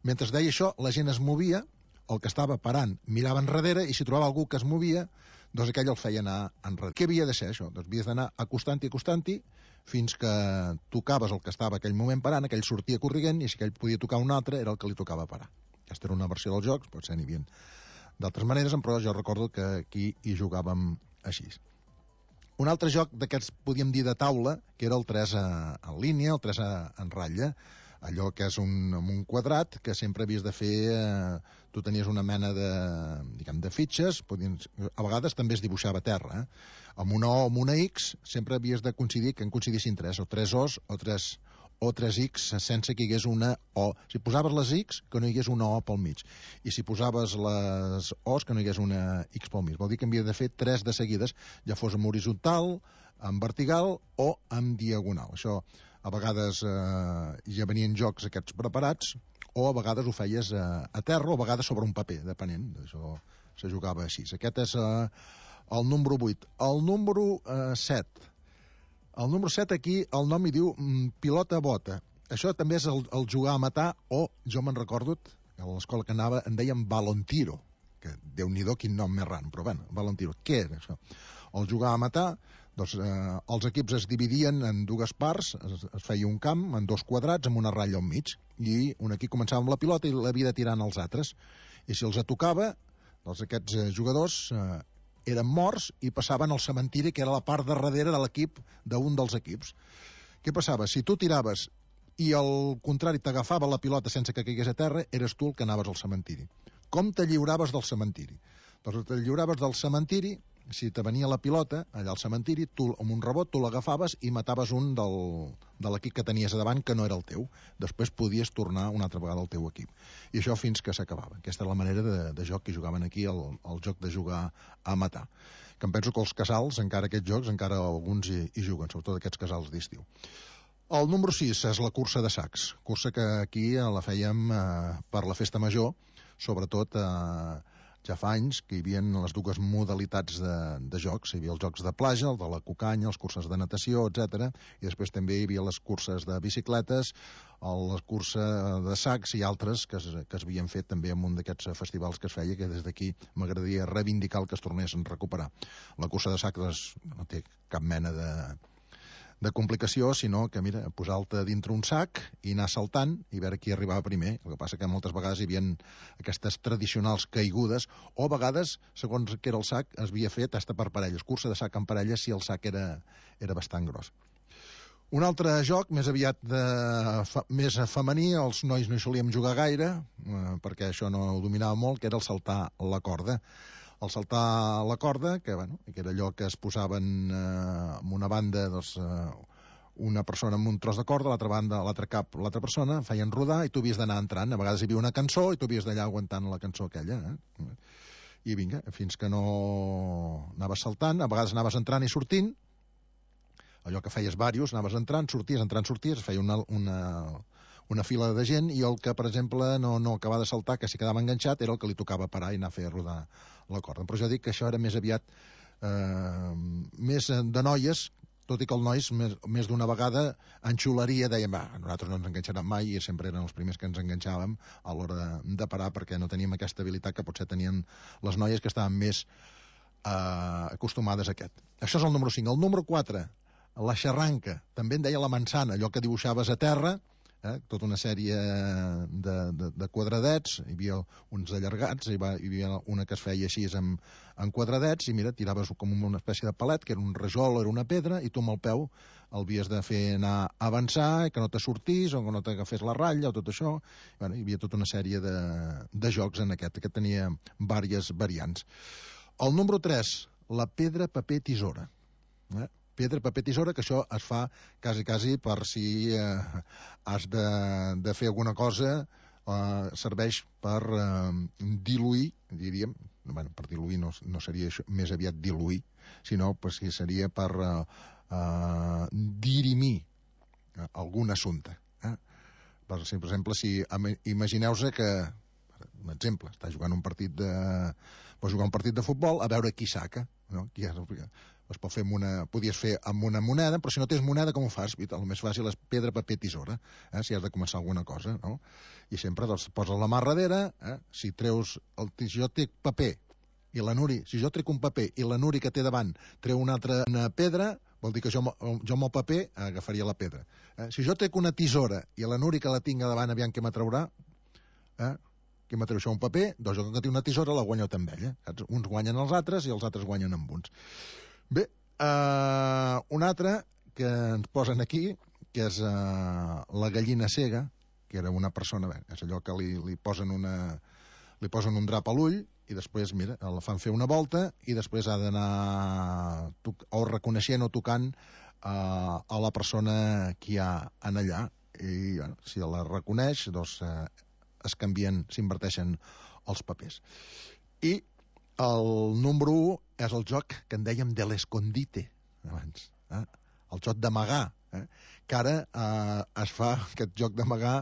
Mentre es deia això, la gent es movia, el que estava parant mirava enrere, i si trobava algú que es movia, doncs aquell el feia anar enrere. Què havia de ser això? Doncs havies d'anar acostant-hi, acostant-hi, fins que tocaves el que estava aquell moment parant, aquell sortia corrient, i si aquell podia tocar un altre, era el que li tocava parar. Aquesta era una versió dels jocs, potser n'hi havia d'altres maneres, però jo recordo que aquí hi jugàvem així. Un altre joc d'aquests, podíem dir, de taula, que era el tres en línia, el tres en ratlla, allò que és un, un quadrat que sempre havies de fer, eh, tu tenies una mena de, diguem, de fitxes, podien, a vegades també es dibuixava a terra, eh? Amb una O o amb una X sempre havies de coincidir, que en coincidissin tres, o tres O's o tres, o tres X sense que hi hagués una O. Si posaves les X, que no hi hagués una O pel mig. I si posaves les O's, que no hi hagués una X pel mig. Vol dir que havia de fer tres de seguides, ja fos en horitzontal, en vertical o en diagonal. Això a vegades eh, ja venien jocs aquests preparats, o a vegades ho feies eh, a terra, o a vegades sobre un paper, depenent. Això se jugava així. Aquest és eh, el número vuit. El número eh, set. El número set aquí, el nom hi diu mm, pilota bota. Això també és el, el jugar a matar, o jo me'n recordo, a l'escola que anava en deien balontiro, que Déu-n'hi-do quin nom més ran, però bueno, balontiro. Què era això? El jugar a matar, doncs eh, els equips es dividien en dues parts, es, es feia un camp en dos quadrats amb una ratlla al mig, i un equip començava amb la pilota i l'havia de tirar als altres. I si els tocava, doncs aquests eh, jugadors eh, eren morts i passaven al cementiri, que era la part de darrere de l'equip d'un dels equips. Què passava? Si tu tiraves i al contrari t'agafava la pilota sense que caigués a terra, eres tu el que anaves al cementiri. Com te lliuraves del cementiri? Doncs te lliuraves del cementiri, si te venia la pilota allà al cementiri, tu amb un rebot tu l'agafaves i mataves un del, de l'equip que tenies a davant que no era el teu. Després podies tornar una altra vegada al teu equip. I això fins que s'acabava. Aquesta és la manera de, de joc que jugaven aquí, el, el joc de jugar a matar. Que em penso que els casals, encara aquests jocs, encara alguns hi, hi juguen, sobretot aquests casals d'estiu. El número sis és la cursa de sacs. Cursa que aquí la fèiem eh, per la festa major, sobretot eh, ja fa anys que hi havia les dues modalitats de, de jocs. Hi havia els jocs de platja, el de la cucanya, les curses de natació, etcètera. I després també hi havia les curses de bicicletes, la cursa de sacs i altres que es, que es havien fet també en un d'aquests festivals que es feia, que des d'aquí m'agradaria reivindicar el que es tornés a recuperar. La cursa de sacs no té cap mena de de complicació, sinó que, mira, posar-te dintre un sac i anar saltant i veure qui arribava primer. El que passa que moltes vegades hi havia aquestes tradicionals caigudes, o a vegades, segons que era el sac, es havia fet hasta per parelles, cursa de sac en parelles si el sac era, era bastant gros. Un altre joc, més aviat de, fa, més femení, els nois no hi solíem jugar gaire, eh, perquè això no ho dominava molt, que era el saltar la corda. El saltar la corda, que, bueno, que era allò que es posaven eh, en una banda, doncs, eh, una persona amb un tros de corda, a l'altra banda, a l'altre cap, l'altra persona, feien rodar i tu havies d'anar entrant. A vegades hi havia una cançó i tu havies d'allà aguantant la cançó aquella. Eh? I vinga, fins que no anaves saltant, a vegades anaves entrant i sortint, allò que feies vàrios, anaves entrant, sorties, entrant, sorties, feia una... una una fila de gent, i el que, per exemple, no, no acabava de saltar, que s'hi quedava enganxat, era el que li tocava parar i anar a fer rodar la corda. Però jo dic que això era més aviat eh, més de noies, tot i que els nois més, més d'una vegada en xularia deien, va, nosaltres no ens enganxarem mai, i sempre eren els primers que ens enganxàvem a l'hora de, de parar, perquè no teníem aquesta habilitat que potser tenien les noies que estaven més eh, acostumades a aquest. Això és el número cinc. El número quatre, la xarranca, també en deia la manzana, allò que dibuixaves a terra, Eh, tota una sèrie de, de, de quadradets, hi havia uns allargats, hi, va, hi havia una que es feia així en, en quadradets, i mira, tiraves com una espècie de palet, que era un rajol o era una pedra, i tu amb el peu el havies de fer anar a avançar, que no te sortís, o que no t'agafés la ratlla, o tot això. Bueno, hi havia tota una sèrie de, de jocs en aquest, que tenia diverses variants. El número tres, la pedra, paper, tisora. Eh? Pedra, paper, tisora, que això es fa quasi, quasi per si eh, has de, de fer alguna cosa, eh, serveix per eh, diluir, diríem, bueno, per diluir no, no seria això, més aviat diluir, sinó pues, que seria per eh, eh, dirimir eh, algun assumpte. Eh? Per, si, per exemple, si imagineu-vos que, un exemple, està jugant un partit de, pot jugar un partit de futbol, a veure qui saca, no? Qui és el... Es pot fer amb una, podies fer amb una moneda, però si no tens moneda, com ho fas? El més fàcil és pedra, paper, tisora, eh? Si has de començar alguna cosa, no? I sempre doncs, poses la mà darrere, eh? Si treus, el, si jo trec paper i la Nuri, si jo trec un paper i la Nuri que té davant treu una altra una pedra, vol dir que jo, jo amb el paper agafaria la pedra. Eh? Si jo trec una tisora i la Nuri que la tinga davant, aviam què m'atraurà, eh? Què m'atreu això, un paper? Doncs jo que tinc una tisora la guanyo també, eh? Saps? Uns guanyen els altres i els altres guanyen amb uns. Bé, uh, un altre que ens posen aquí, que és uh, la gallina cega, que era una persona, bé, és allò que li, li, posen una, li posen un drap a l'ull i després, mira, la fan fer una volta i després ha d'anar o reconeixent o tocant uh, a la persona que hi ha en allà. I bueno, si la reconeix, doncs uh, es canvien, s'inverteixen els papers. I el número u és el joc que en dèiem de l'escondite abans, eh? El joc d'amagar, eh? Que ara eh, es fa, aquest joc d'amagar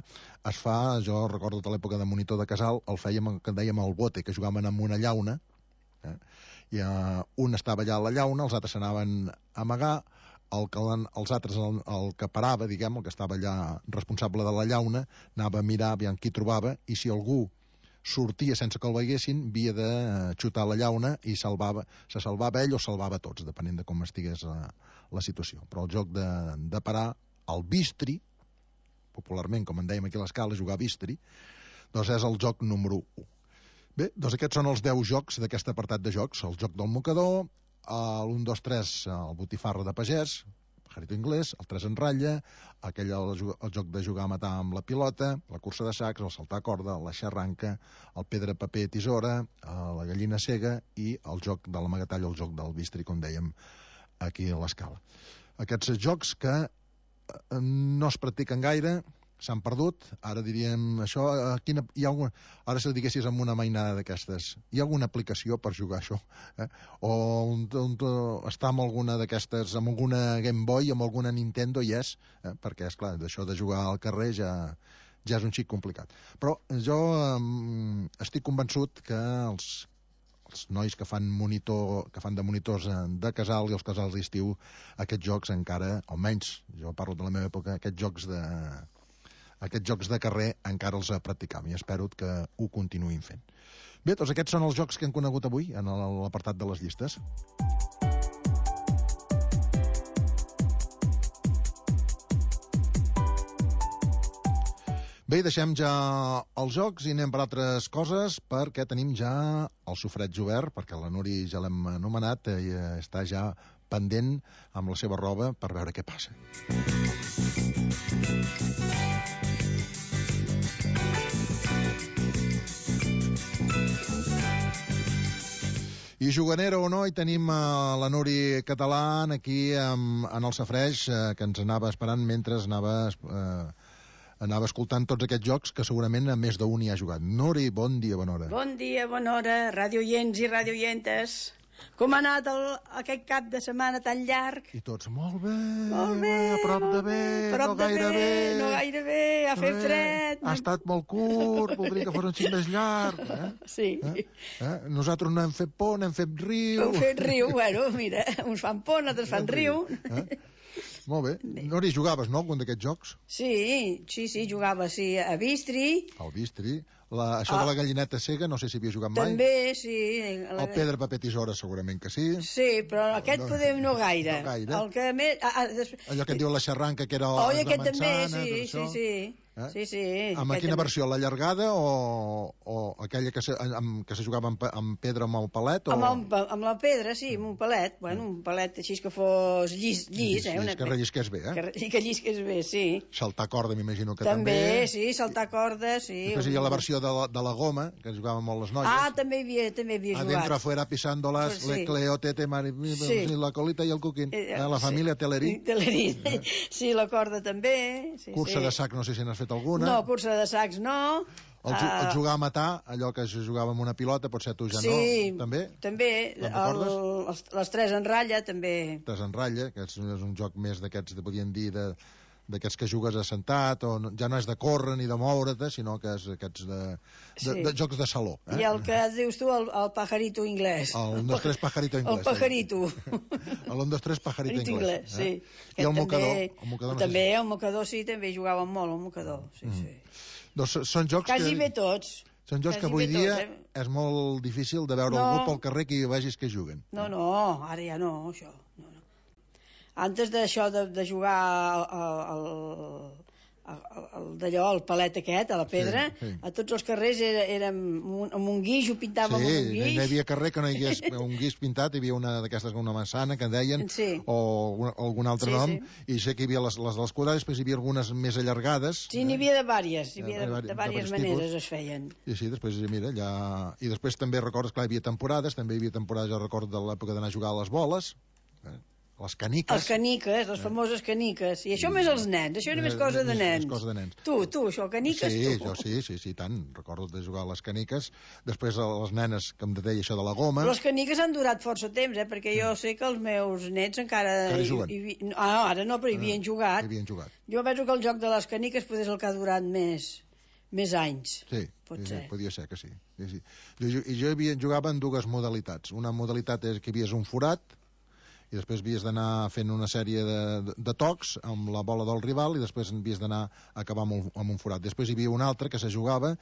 es fa, jo recordo de l'època de monitor de casal, el fèiem, que en dèiem el bote, que jugaven amb una llauna, eh? I eh, un estava allà a la llauna, els altres s'anaven a amagar, el que, els altres, el, el que parava, diguem, el que estava allà responsable de la llauna, anava a mirar aviam qui trobava, i si algú sortia sense que el veiessin, havia de xutar la llauna i salvava, se salvava ell o salvava tots, depenent de com estigués la, la situació. Però el joc de, de parar, el bistri, popularment, com en dèiem aquí a l'escala, jugar bistri, doncs és el joc número u. Bé, doncs aquests són els deu jocs d'aquest apartat de jocs. El joc del mocador, l'un, dos, tres, el botifarra de pagès, Jarito Inglés, el tres en ratlla, aquell el, el joc de jugar a matar amb la pilota, la cursa de sacs, el saltar corda, la xarranca, el pedra, paper, tisora, la gallina cega i el joc de l'amagatall, el joc del bistri, com dèiem aquí a l'escala. Aquests jocs que no es practiquen gaire, s'han perdut, ara diríem això, quina, hi ha alguna, ara si diguessis amb una mainada d'aquestes, hi ha alguna aplicació per jugar això? Eh? O on, on, està amb alguna d'aquestes, amb alguna Game Boy, amb alguna Nintendo, i és, eh? Perquè, és clar, d'això de jugar al carrer ja, ja és un xic complicat. Però jo eh, estic convençut que els, els nois que fan monitor, que fan de monitors de casal i els casals d'estiu, aquests jocs encara, almenys, jo parlo de la meva època, aquests jocs de... aquests jocs de carrer encara els practicam i espero que ho continuïn fent. Bé, doncs aquests són els jocs que hem conegut avui en l'apartat de les llistes. Bé, deixem ja els jocs i anem per altres coses, perquè tenim ja el sofreig obert, perquè la Nuri ja l'hem anomenat i està ja pendent amb la seva roba per veure què passa. I juganera o no, hi tenim uh, la Nuri Català aquí um, en el safreix, uh, que ens anava esperant mentre anava, uh, anava escoltant tots aquests jocs que segurament a més d'un hi ha jugat. Nuri, bon dia, bona hora. Bon dia, bona hora, radioients i radioientes. Com ha anat el, aquest cap de setmana tan llarg? I tots, molt bé, molt bé, a prop de bé, prop no de gaire bé, bé, no gaire bé, ha fet fred. Ha estat molt curt, voldria que fos un xic més llarg. Eh? Sí. Eh? Eh? Nosaltres no hem fet por, n'hem fet riu. Hem fet riu, bueno, mira, uns fan por, altres fan riu. Eh? Molt bé. Nori, jugaves, no, algun d'aquests jocs? Sí, sí, sí, jugava, sí, a Bistri. Al Bistri. La, això ah. de la gallineta cega, no sé si havia jugat mai. També, sí. La... El pedra, paper, tisora, segurament que sí. Sí, però aquest no, podem no gaire. No gaire. El que més... Ah, ah, des... Allò que et diu la xarranca, que era oh, de aquest manzana, també, sí, sí, sí. Eh? Sí, sí. Amb quina també. Versió? La llargada o, o aquella que se, amb, que se jugava amb, amb pedra amb el palet? O... Amb, el, amb la pedra, sí, amb un palet. Bueno, un palet així que fos llis, llis, llis eh? Una... Que rellisqués bé, eh? Que, que llisqués bé, sí. Saltar corda, m'imagino que també. També, sí, saltar corda, sí. Després hi ha la versió de la, de la goma, que jugàvem molt les noies. Ah, també havia, també havia jugat. Adentro, afuera, pisándolas, pues sí. Le Cleo, Tete, Mari, sí. La colita i el coquín. Eh, la família sí. Telerí. Telerí. Eh? Sí, la corda també. Sí, cursa sí. de sac, no sé si n'has fet alguna. No, cursa de sacs no. El, uh, el jugar a matar, allò que es jugava amb una pilota, potser tu ja sí, no, també? També, el, els, les tres en ratlla, també. Tres en ratlla, que és, és un joc més d'aquests, podríem dir, de, d'aquests que jugues assentat, o no, ja no és de córrer ni de moure't, sinó que és aquests de, de, sí. de jocs de saló. Eh? I el que dius tu, el, el pajarito inglès. El un, dos, tres, pajarito inglès. El pajarito. El un, dos, tres, pajarito inglès. inglès sí. Eh? I el mocador. El mocador no també, sé si... el mocador sí, també jugàvem molt, el mocador. Sí, mm. sí. Doncs són jocs Quasi que... bé tots. Són jocs Quasi que avui dia tots, eh? és molt difícil de veure no. algú pel carrer que hi vegis que juguen. No, no, ara ja no, això. No, no. Antes d'això de, de jugar al... d'allò, el palet aquest, a la pedra, sí, sí. A tots els carrers era, era amb un guix, ho pintàvem sí, amb un guix. Sí, no hi havia carrer que no hi hagués un guix pintat, hi havia una d'aquestes, una manzana que deien, sí. o un, algun altre sí, nom, sí. I sé que hi havia les, les de les quadrades, després hi havia algunes més allargades. Sí, n'hi havia de vàries, hi havia de, de, de vàries maneres tipus. Es feien. I sí, després, mira, ja... I després també recordes, clar, hi havia temporades, també hi havia temporades, jo recordo de l'època d'anar a jugar a les boles, eh? Les caniques. Les caniques, les famoses caniques. I això més els nens, això era més cosa de nens. Més cosa de nens. Tu, tu, això, caniques, sí, tu. Jo, sí, sí, sí, tant. Recordo de jugar a les caniques. Després les nenes, que em deia això de la goma. Però les caniques han durat força temps, eh? Perquè jo sé que els meus nets encara... Encara hi juguen. Hi, hi, ah, ara no, però hi havien jugat. Hi havien jugat. Jo penso que el joc de les caniques potser és el que ha durat més, més anys. Sí, Pot sí, ser. Podia ser que sí. sí, sí. Jo, jo havia, jugava en dues modalitats. Una modalitat és que hi havies un forat, i després havies d'anar fent una sèrie de, de, de tocs amb la bola del rival i després havies d'anar a acabar amb un, amb un forat. Després hi havia una altra que se jugava,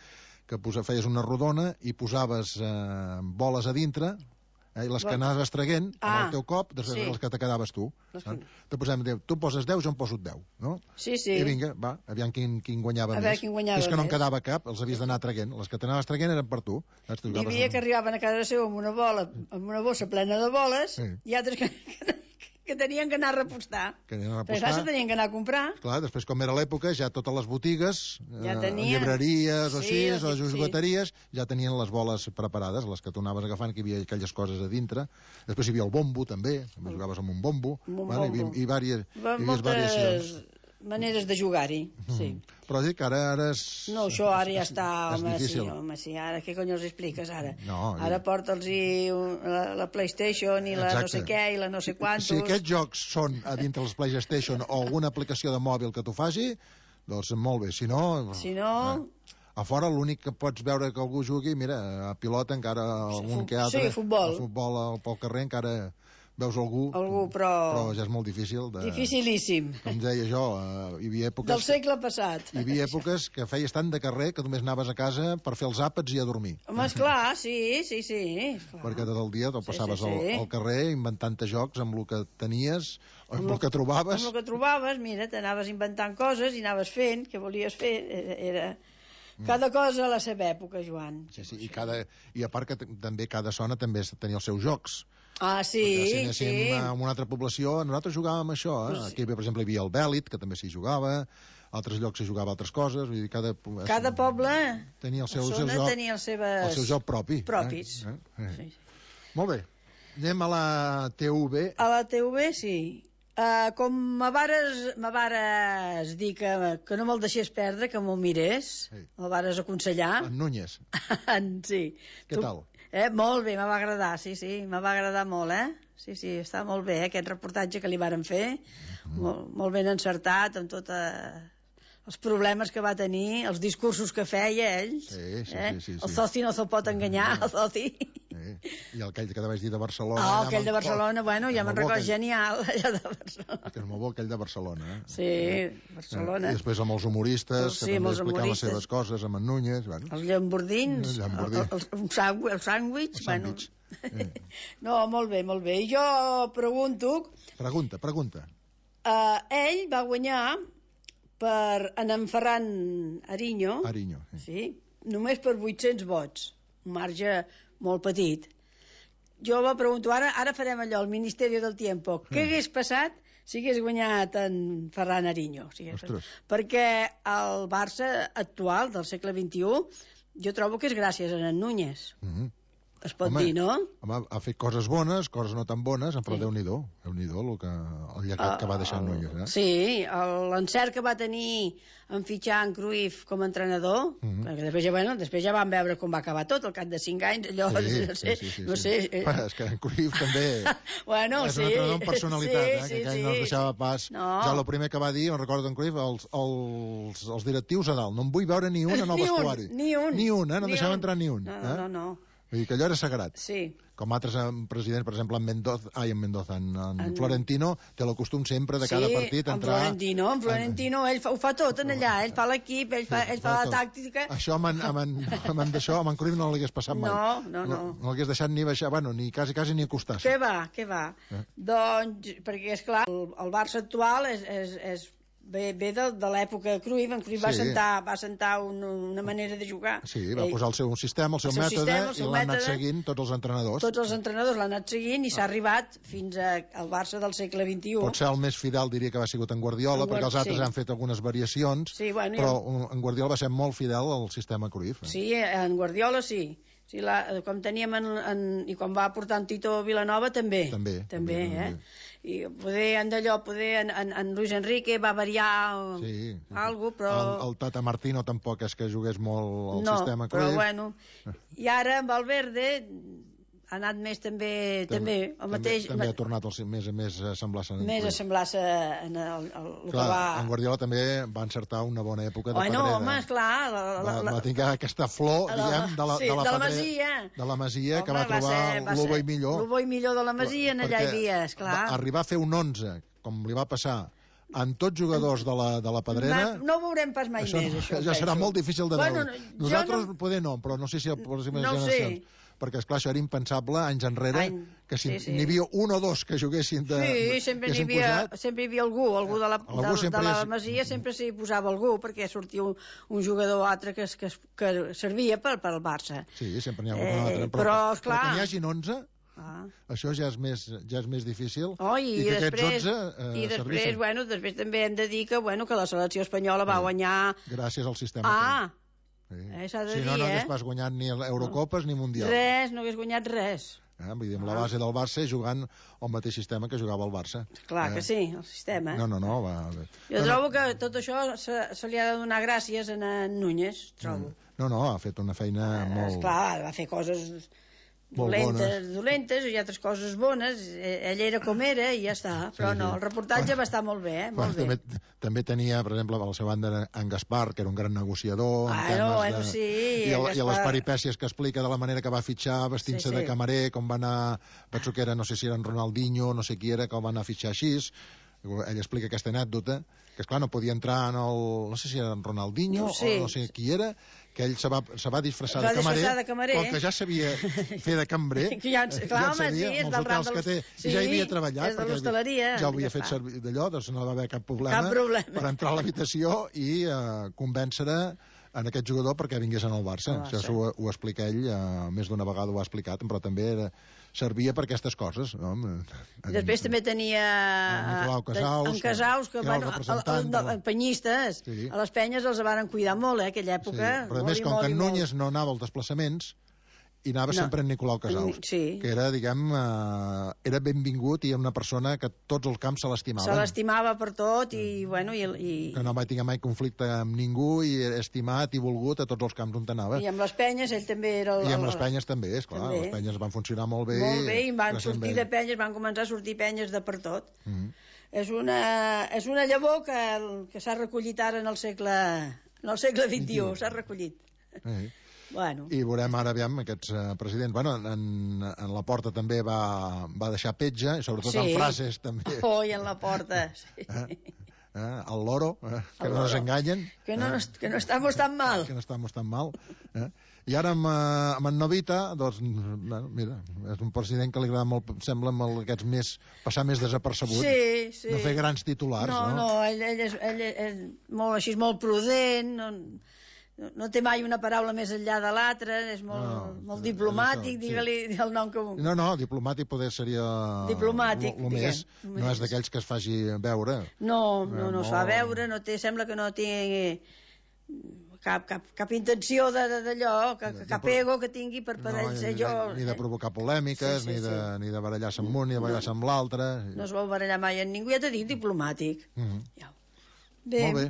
que posa, feies una rodona i posaves eh, boles a dintre, eh, i les que anaves traguent ah, amb el teu cop, després sí. Les que te quedaves tu. Eh? Te posem, tu poses deu, jo em poso deu, no? Sí, sí. I vinga, va, aviam quin, quin guanyava a més. Quin guanyava és que no en més. quedava cap, els havies d'anar traguent. Les que t'anaves traguent eren per tu. Hi havia que arribaven a casa seva amb una bola, amb una bossa plena de boles, sí. I altres que... que tenien que anar a repostar. Que anien a repostar. Però se tenien que anar a comprar. Clar, després com era l'època, ja totes les botigues, ja tenien... eh, llibreries o sí, així, o sí, jugueteries, sí. Ja tenien les boles preparades, les que tu anaves agafant, que hi havia aquelles coses a dintre. Després hi havia el bombo, també, també jugaves amb un bombo. Amb un vale? bombo. I, i, vàries, hi havia moltes variacions. Maneres de jugar-hi, sí. Mm. Però dic que ara, ara és... No, això ara ja està, és home, difícil. sí, home, sí, ara què cony els expliques, ara? No, ara ja. Porta'ls-hi la, la PlayStation i la Exacte. No sé què i la no sé quantos... Si aquests jocs són a dintre els PlayStation o alguna aplicació de mòbil que tu faci, doncs molt bé, si no... Si no... Eh. A fora l'únic que pots veure que algú jugui, mira, a pilota encara algun que altre... Sí, futbol. A futbol pel carrer encara veus algú, algú però... però ja és molt difícil. De... Dificilíssim. Com deia jo, uh, hi havia èpoques... Del segle passat. Hi havia èpoques que feies tant de carrer que només anaves a casa per fer els àpats i a dormir. Home, esclar, sí, sí, sí. Esclar. Perquè tot el dia te'l passaves sí, sí, sí. Al, al carrer inventant-te jocs amb el que tenies, amb, amb el que trobaves. Amb el que trobaves, mira, t'anaves inventant coses i anaves fent, què volies fer, era... era... Cada cosa a la seva època, Joan. Sí, sí, i, cada, i a part que també cada zona també tenia els seus jocs. Ah, sí, si anéssim sí. a una altra població, nosaltres jugàvem això, eh? Pues... Aquí, per exemple, hi havia el Bèlit, que també s'hi jugava, altres llocs s'hi jugava altres coses, vull dir, cada... Cada poble tenia el seu, el seu zona joc, tenia els seves... el seu joc propi. Propis. Eh? Eh? Eh? Sí. Molt bé, anem a la T V B. A la T V B, sí. Uh, com me vares, me vares dir que, que no me'l deixés perdre, que m'ho mirés, sí. Me'l vares aconsellar. En Núñez. Sí. Què tu, tal? Eh, molt bé, me va agradar, sí, sí, me va agradar molt, eh? Sí, sí, està molt bé, eh, aquest reportatge que li varen fer, mm. molt, molt ben encertat, amb tota... els problemes que va tenir, els discursos que feia ell. Sí, sí, eh? sí, sí, sí. El soci no se'l pot enganyar, el soci. Sí. I aquell que vaig dir de Barcelona... Oh, aquell de Barcelona, bueno, ja me'n recordo, genial, allò de Barcelona. Que és molt bo aquell de Barcelona, eh? Sí, Barcelona. I després amb els humoristes, sí, que també explicaven les seves coses, amb en Núñez... Bueno. Els llambordins, el, el, el, el sàndwich, bueno... Eh. No, molt bé, molt bé. I jo pregunto... Pregunta, pregunta. Uh, ell va guanyar per en Ferran Ariño, Ariño sí. Sí, només per vuit-cents vots, un marge molt petit. Jo va pregunto, ara, ara farem allò, el Ministeri del Tiempo, què mm. hagués passat si hagués guanyat en Ferran Ariño? Si perquè el Barça actual, del segle vint-i-u, jo trobo que és gràcies a en Núñez. Mm -hmm. Es pot home, dir, no? Home, ha fet coses bones, coses no tan bones, però sí. Déu-n'hi-do, Déu-n'hi-do el, que, el llegat uh, que va deixar en Núñez. Eh? Sí, l'encert que va tenir en fitxar en Cruyff com a entrenador, uh -huh. després, ja, bueno, després ja vam veure com va acabar tot, al cap de cinc anys, allò, sí, no sé... Sí, sí, no sí. sé eh... Bueno, és que en Cruyff també bueno, és sí, un entrenador amb personalitat, sí, eh, que sí, aquell sí. no es deixava pas... No. Ja el primer que va dir, on recordo en Cruyff, els, els, els directius a dalt, no en vull veure ni un en el ni vestuari. Un, ni un. Ni un, eh? No ni deixava un. entrar ni un. No, eh? no, no. Vull dir que allò era sagrat. Sí. Com altres presidents, per exemple, en Mendoza, ai, en Mendoza, en, en, en Florentino, té el costum sempre de cada sí, partit entrar... Sí, en Florentino, en Florentino, ell fa, ho fa tot en allà, ell fa l'equip, ell fa, ell fa la tàctica... Això amb en, amb en, amb en, d'això, amb en Cruyff no l'hagués passat mai. No, no, no. No, no l'hagués deixat ni baixar, bueno, ni quasi, quasi ni acostar-se. Què va, què va? Eh? Doncs, perquè, és clar, el, el Barça actual és... és, és Ve, ve de, de l'època Cruyff, en Cruyff sí. va sentar, va sentar un, una manera de jugar. Sí, va Ell, posar el seu sistema, el seu, el seu mètode, sistema, el seu i l'han anat seguint tots els entrenadors. Tots els entrenadors l'han anat seguint i s'ha arribat fins a, al Barça del segle vint-i-u. Potser el més fidel diria que va sigut en Guardiola, en Guard... perquè els altres sí. han fet algunes variacions, sí, bueno, però jo... en Guardiola va ser molt fidel al sistema Cruyff. Eh? Sí, en Guardiola sí. Sí, la, com teníem en, en, i quan va portar en Tito Vilanova també. També, també, també eh? També. I poder, en d'allò, poder, en, en, en Luis Enrique va variar sí, algo, però... El, el Tata Martino tampoc és que jugués molt el no, sistema Cruyff. No, però bueno... I ara amb Valverde ha anat més també... També, també, el mateix, també ha tornat el, més, més a semblar-se en Més a semblar-se en el, el, el clar, que va... en Guardiola també va encertar una bona època de bueno, pedrera. Home, esclar... La, la, va, la, va tenir aquesta flor, la, diguem, de la, sí, de la, de la pedrera, Masia. De la Masia, home, que va trobar el bo i millor. El bo i millor de la Masia, en allà hi havia, esclar. Arribar a fer un onze, com li va passar amb tots jugadors de la, de la Pedrera... No ho veurem pas mai això, més, això. Ja serà molt difícil de bueno, veure. Nosaltres no... poder no, però no sé si a les próximes no generacions... Sé. Perquè, esclar, això era impensable anys enrere, Any... que si sí, sí. n'hi havia un o dos que juguessin de... Sí, sempre n'hi havia, sempre hi havia algú, algú de la, algú de, de la és... Masia sempre s'hi posava algú, perquè sortia un, un jugador o altre que, que, que servia per, per al Barça. Sí, sempre n'hi ha algun eh, altre. Però, però, esclar... però que n'hi hagin onze... Ah. Això ja és més, ja és més difícil. Oh, i, i que després, aquests onze eh, i després, servissin. bueno, després també hem de dir que, bueno, que la selecció espanyola va sí. guanyar... Gràcies al sistema. Ah, sí. eh, s'ha de si dir, no, no hagués eh? pas guanyat ni Eurocopes ni Mundial. Res, no hagués guanyat res. Eh? Vull dir, amb la base del Barça jugant el mateix sistema que jugava el Barça. Clar eh? que sí, el sistema. No, no, no. Va, jo no, trobo no. que tot això se, se li ha de donar gràcies a en Núñez, trobo. No, no, ha fet una feina eh, molt... Esclar, va fer coses dolentes, dolentes, i altres coses bones. Ell era com era i ja està. Però Sí, no, sí. el reportatge va estar molt bé, eh? Molt Bueno, bé. també, també tenia, per exemple, a la seva banda en Gaspar, que era un gran negociador en Ah, temes no, de... bueno, sí, i, el, en i les Gaspar. peripècies que explica de la manera que va fitxar vestint-se Sí, sí. de camarer, com va anar, penso que era, no sé si era en Ronaldinho, no sé qui era, que el va anar a fitxar així. Ell explica aquesta anècdota, que esclar no podia entrar en el... no sé si era en Ronaldinho No sé. o no sé qui era, que ell se va, se va disfressar Es va de camarer, disfressar de camarer. com que ja sabia fer de cambrer, Que ja en- clar, ja en home, sabia, sí, és amb els del ram hotels de que té, l'hos- i ja hi havia sí, treballat, és de perquè l'hostaleria, ja ho havia en fet Gaspar. servir d'allò, doncs no va haver cap problema, Cap problema. per entrar a l'habitació i eh, convèncer en aquest jugador perquè vingués en el Barça. El Barça. Això ho, ho explica ell, eh, més d'una vegada ho ha explicat, però també era, servia per aquestes coses. No? I després també tenia... En Nicolau Casals, En Casals, que, que era el bueno, el, representant el, de la- el, penyistes, Sí. a les penyes els varen cuidar molt, eh, aquella Sí, època. però a molt més, i com molt que i en molt. Núñez no anava als desplaçaments, i anava No. sempre en Nicolau Casals, Sí. que era, diguem, eh, era benvingut i era una persona que tots els camps se l'estimaven. Se l'estimava per tot i, bueno, i, i, Que no va tenir mai conflicte amb ningú i era estimat i volgut a tots els camps on anava. i amb les penyes ell també era... El, I amb el- les penyes també, esclar. També. Les penyes van funcionar molt bé. Molt bé, i van gràcies a sortir ell. de penyes, van començar a sortir penyes de per tot. Mhm. És una, és una llavor que, que s'ha recollit ara en el segle, en el segle vint-i-u, s'ha recollit. Eh. Bueno, I veurem ara, aviam, aquests uh, presidents. Bueno, en, en la porta també va, va deixar petja, i sobretot Sí. en frases també. oh, i en la porta. Sí. Eh? Eh? El loro, eh? que El no ens loro. enganyen. Que no, eh? nos- que no estamos tan mal. Que no estamos tan mal. Eh? I ara amb, eh, amb en Novita, doncs, bueno, mira, és un president que li agrada molt, sembla, amb el- aquests més, passar més desapercebut. Sí, sí. No fer grans titulars, no? no? No, ell, ell, és, ell és molt, així, és molt prudent, no, no, no té mai una paraula més enllà de l'altra, és molt, No, molt és diplomàtic, això, sí. digue-li el nom que vulgui. No, no, diplomàtic poder seria... Diplomàtic, lo, lo diguem, més, lo no més. és d'aquells que es faci veure. No, no, no Eh, es fa molt- veure, no té, sembla que no té cap, cap, cap intenció de- de- d'allò, que, que, cap ego que tingui per poder no, ser ni, jo. ni de provocar polèmiques, Sí, sí, ni, de, sí. ni de barallar-se amb un, ni de barallar-se amb l'altre. No es vol barallar mai amb ningú, ja t'he dit, diplomàtic. Mhm. Ja. Bé, Molt bé.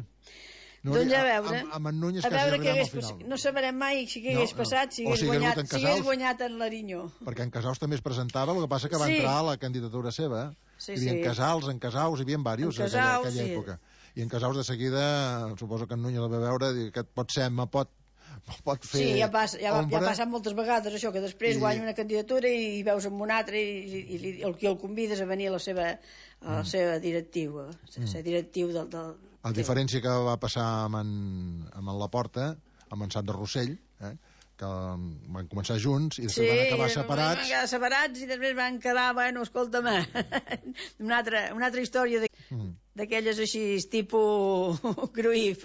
doncs a veure, Amb, amb en Núñez a quasi veure ja què veurem al hagués final. passat. No sabrem mai si què No, hagués no. passat, si O hagués si hagués guanyat, hagut en si hagués Casals. guanyat en l'Arinyó. Perquè en Casals també es presentava, el que passa que va Sí. entrar a la candidatura seva. Sí, Hi havia sí. en Casals, en Casaus, hi havia diversos En en aquella, Casals, aquella sí. època. I en Casaus de seguida, suposo que en Núñez el va veure, dir que pot ser, me pot, pot fer Sí, ja, passa, ja, va- ja ombra. ha passat moltes vegades això, que després I- guanya una candidatura i veus amb un altre i, i, i el que el convides a venir a la seva, a la seva directiu, a ser directiu del... del A diferència que va passar amb en, amb en Laporta, amb en Sant de Rossell, eh, que van començar junts i després van acabar separats. van quedar separats i després van quedar, bueno, escolta'm, una altra, una altra història de- Mm. d'aquelles així, tipus Cruyff,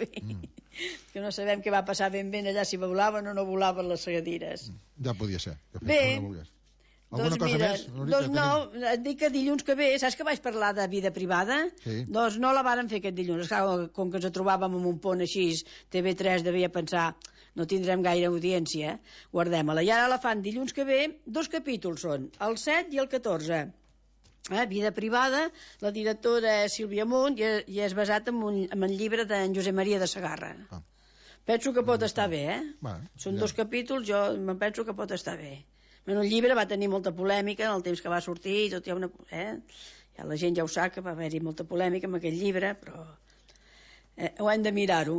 que no sabem què va passar ben ben allà, si volaven o no volaven les segadires. Ja podia ser. Que Bé. fes, no volgués. Alguna Doncs cosa mira, més? Núria, doncs que no, tenim? et dic que dilluns que ve, saps que vaig parlar de vida privada? Sí. Doncs no la varen fer aquest dilluns. Clar, com que ens trobàvem en un pont així, T V tres devia pensar no tindrem gaire audiència, guardem-la. I ara la fan dilluns que ve, dos capítols són, el set i el catorze. Eh, vida privada, la directora és Sílvia Munt i, i és basat en un, en un llibre d'en Josep Maria de Segarra. Ah. Penso que pot estar bé, eh? Bueno, Són ja. dos capítols, jo me'n penso que pot estar bé. Bueno, el llibre va tenir molta polèmica en el temps que va sortir, i tot hi ha una... Eh? Ja la gent ja ho sap, que va haver-hi molta polèmica amb aquest llibre, però eh, ho hem de mirar-ho.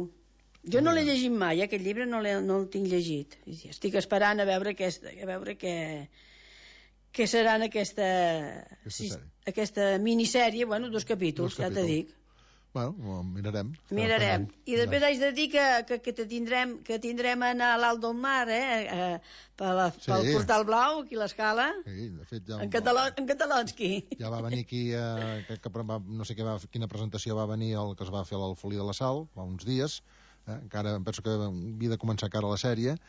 Jo no l'he llegit mai, eh, aquest llibre no, no el tinc llegit. I estic esperant a veure, aquesta, a veure què, què serà en aquesta, Aquesta sis- sèrie. aquesta minissèrie, bueno, dos capítols, Dos ja t'he capítols. dit. Bueno, ho mirarem. Mirarem. I després Ja. haig de dir que, que, que, te tindrem, que tindrem a anar a l'Alt del Mar, eh? eh per la, Sí. pel Portal Blau, aquí a l'Escala, Sí, de fet, ja... en, català, en catalonski. Ja va venir aquí, eh, que, que va, no sé què va, quina presentació va venir el que es va fer a l'Alfolí de la Sal, fa uns dies, eh, encara em penso que havia de començar encara la sèrie,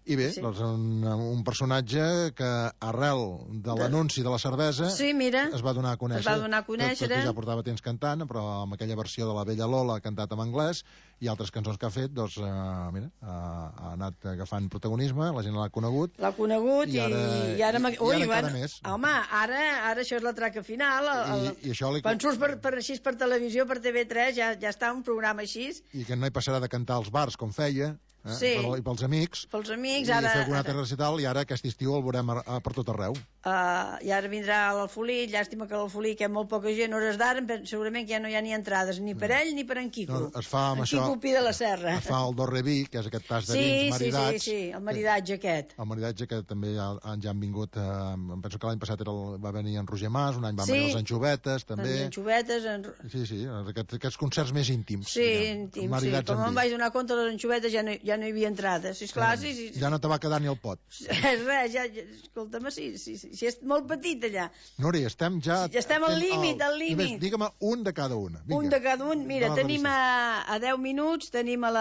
i bé, Sí. sí. doncs un, un personatge que arrel de l'anunci de la cervesa Sí, mira, es va donar a conèixer. es va donar a conèixer. Tot, tot i ja portava temps cantant, però amb aquella versió de la Bella Lola cantat en anglès i altres cançons que ha fet, doncs, eh, mira, ha, ha anat agafant protagonisme, la gent l'ha conegut. l'ha conegut I i, ara- i ara... m'ha- i Ui, ara encara bueno, més. home, ara, ara això és la traca final. El, el, I, i això li... quan surts per, per, així per televisió, per T V tres, ja, ja està un programa així. I que no hi passarà de cantar als bars com feia, eh? Sí. Per, I pels amics. Pels amics, I ara... fer algun ara... altre recital, i ara aquest estiu el veurem a, a, per tot arreu. Uh, I ara vindrà l'Alfolí, llàstima que l'Alfolí, que hi ha molt poca gent, hores d'ara, segurament que ja no hi ha ni entrades, ni per ell ni per en Quico. No, es fa amb en això, Quico Pi de la Serra. Es fa el Dorreví, que és aquest tas de sí, vins maridats. Sí, sí, sí, el maridatge aquest. El maridatge que també ja, ja han vingut, eh, em penso que l'any passat era el, va venir en Roger Mas, un any van sí. venir els Anxovetes, també. Les anxovetes... En... Sí, sí, aquests, aquests concerts més íntims. Sí, íntims, sí. Com em vaig donar compte, les anxovetes ja no, ja no hi havia entrades. Sí, esclar, sí, sí, sí. Ja no te va quedar ni el pot. Res, res, ja, ja, escolta'm, sí, sí, sí, sí, és molt petit allà. Núria, estem ja... Ja estem al límit, al límit. Digue'm un de cada una. Vinga. Un de cada un. Mira, tenim a, a deu minuts, tenim a la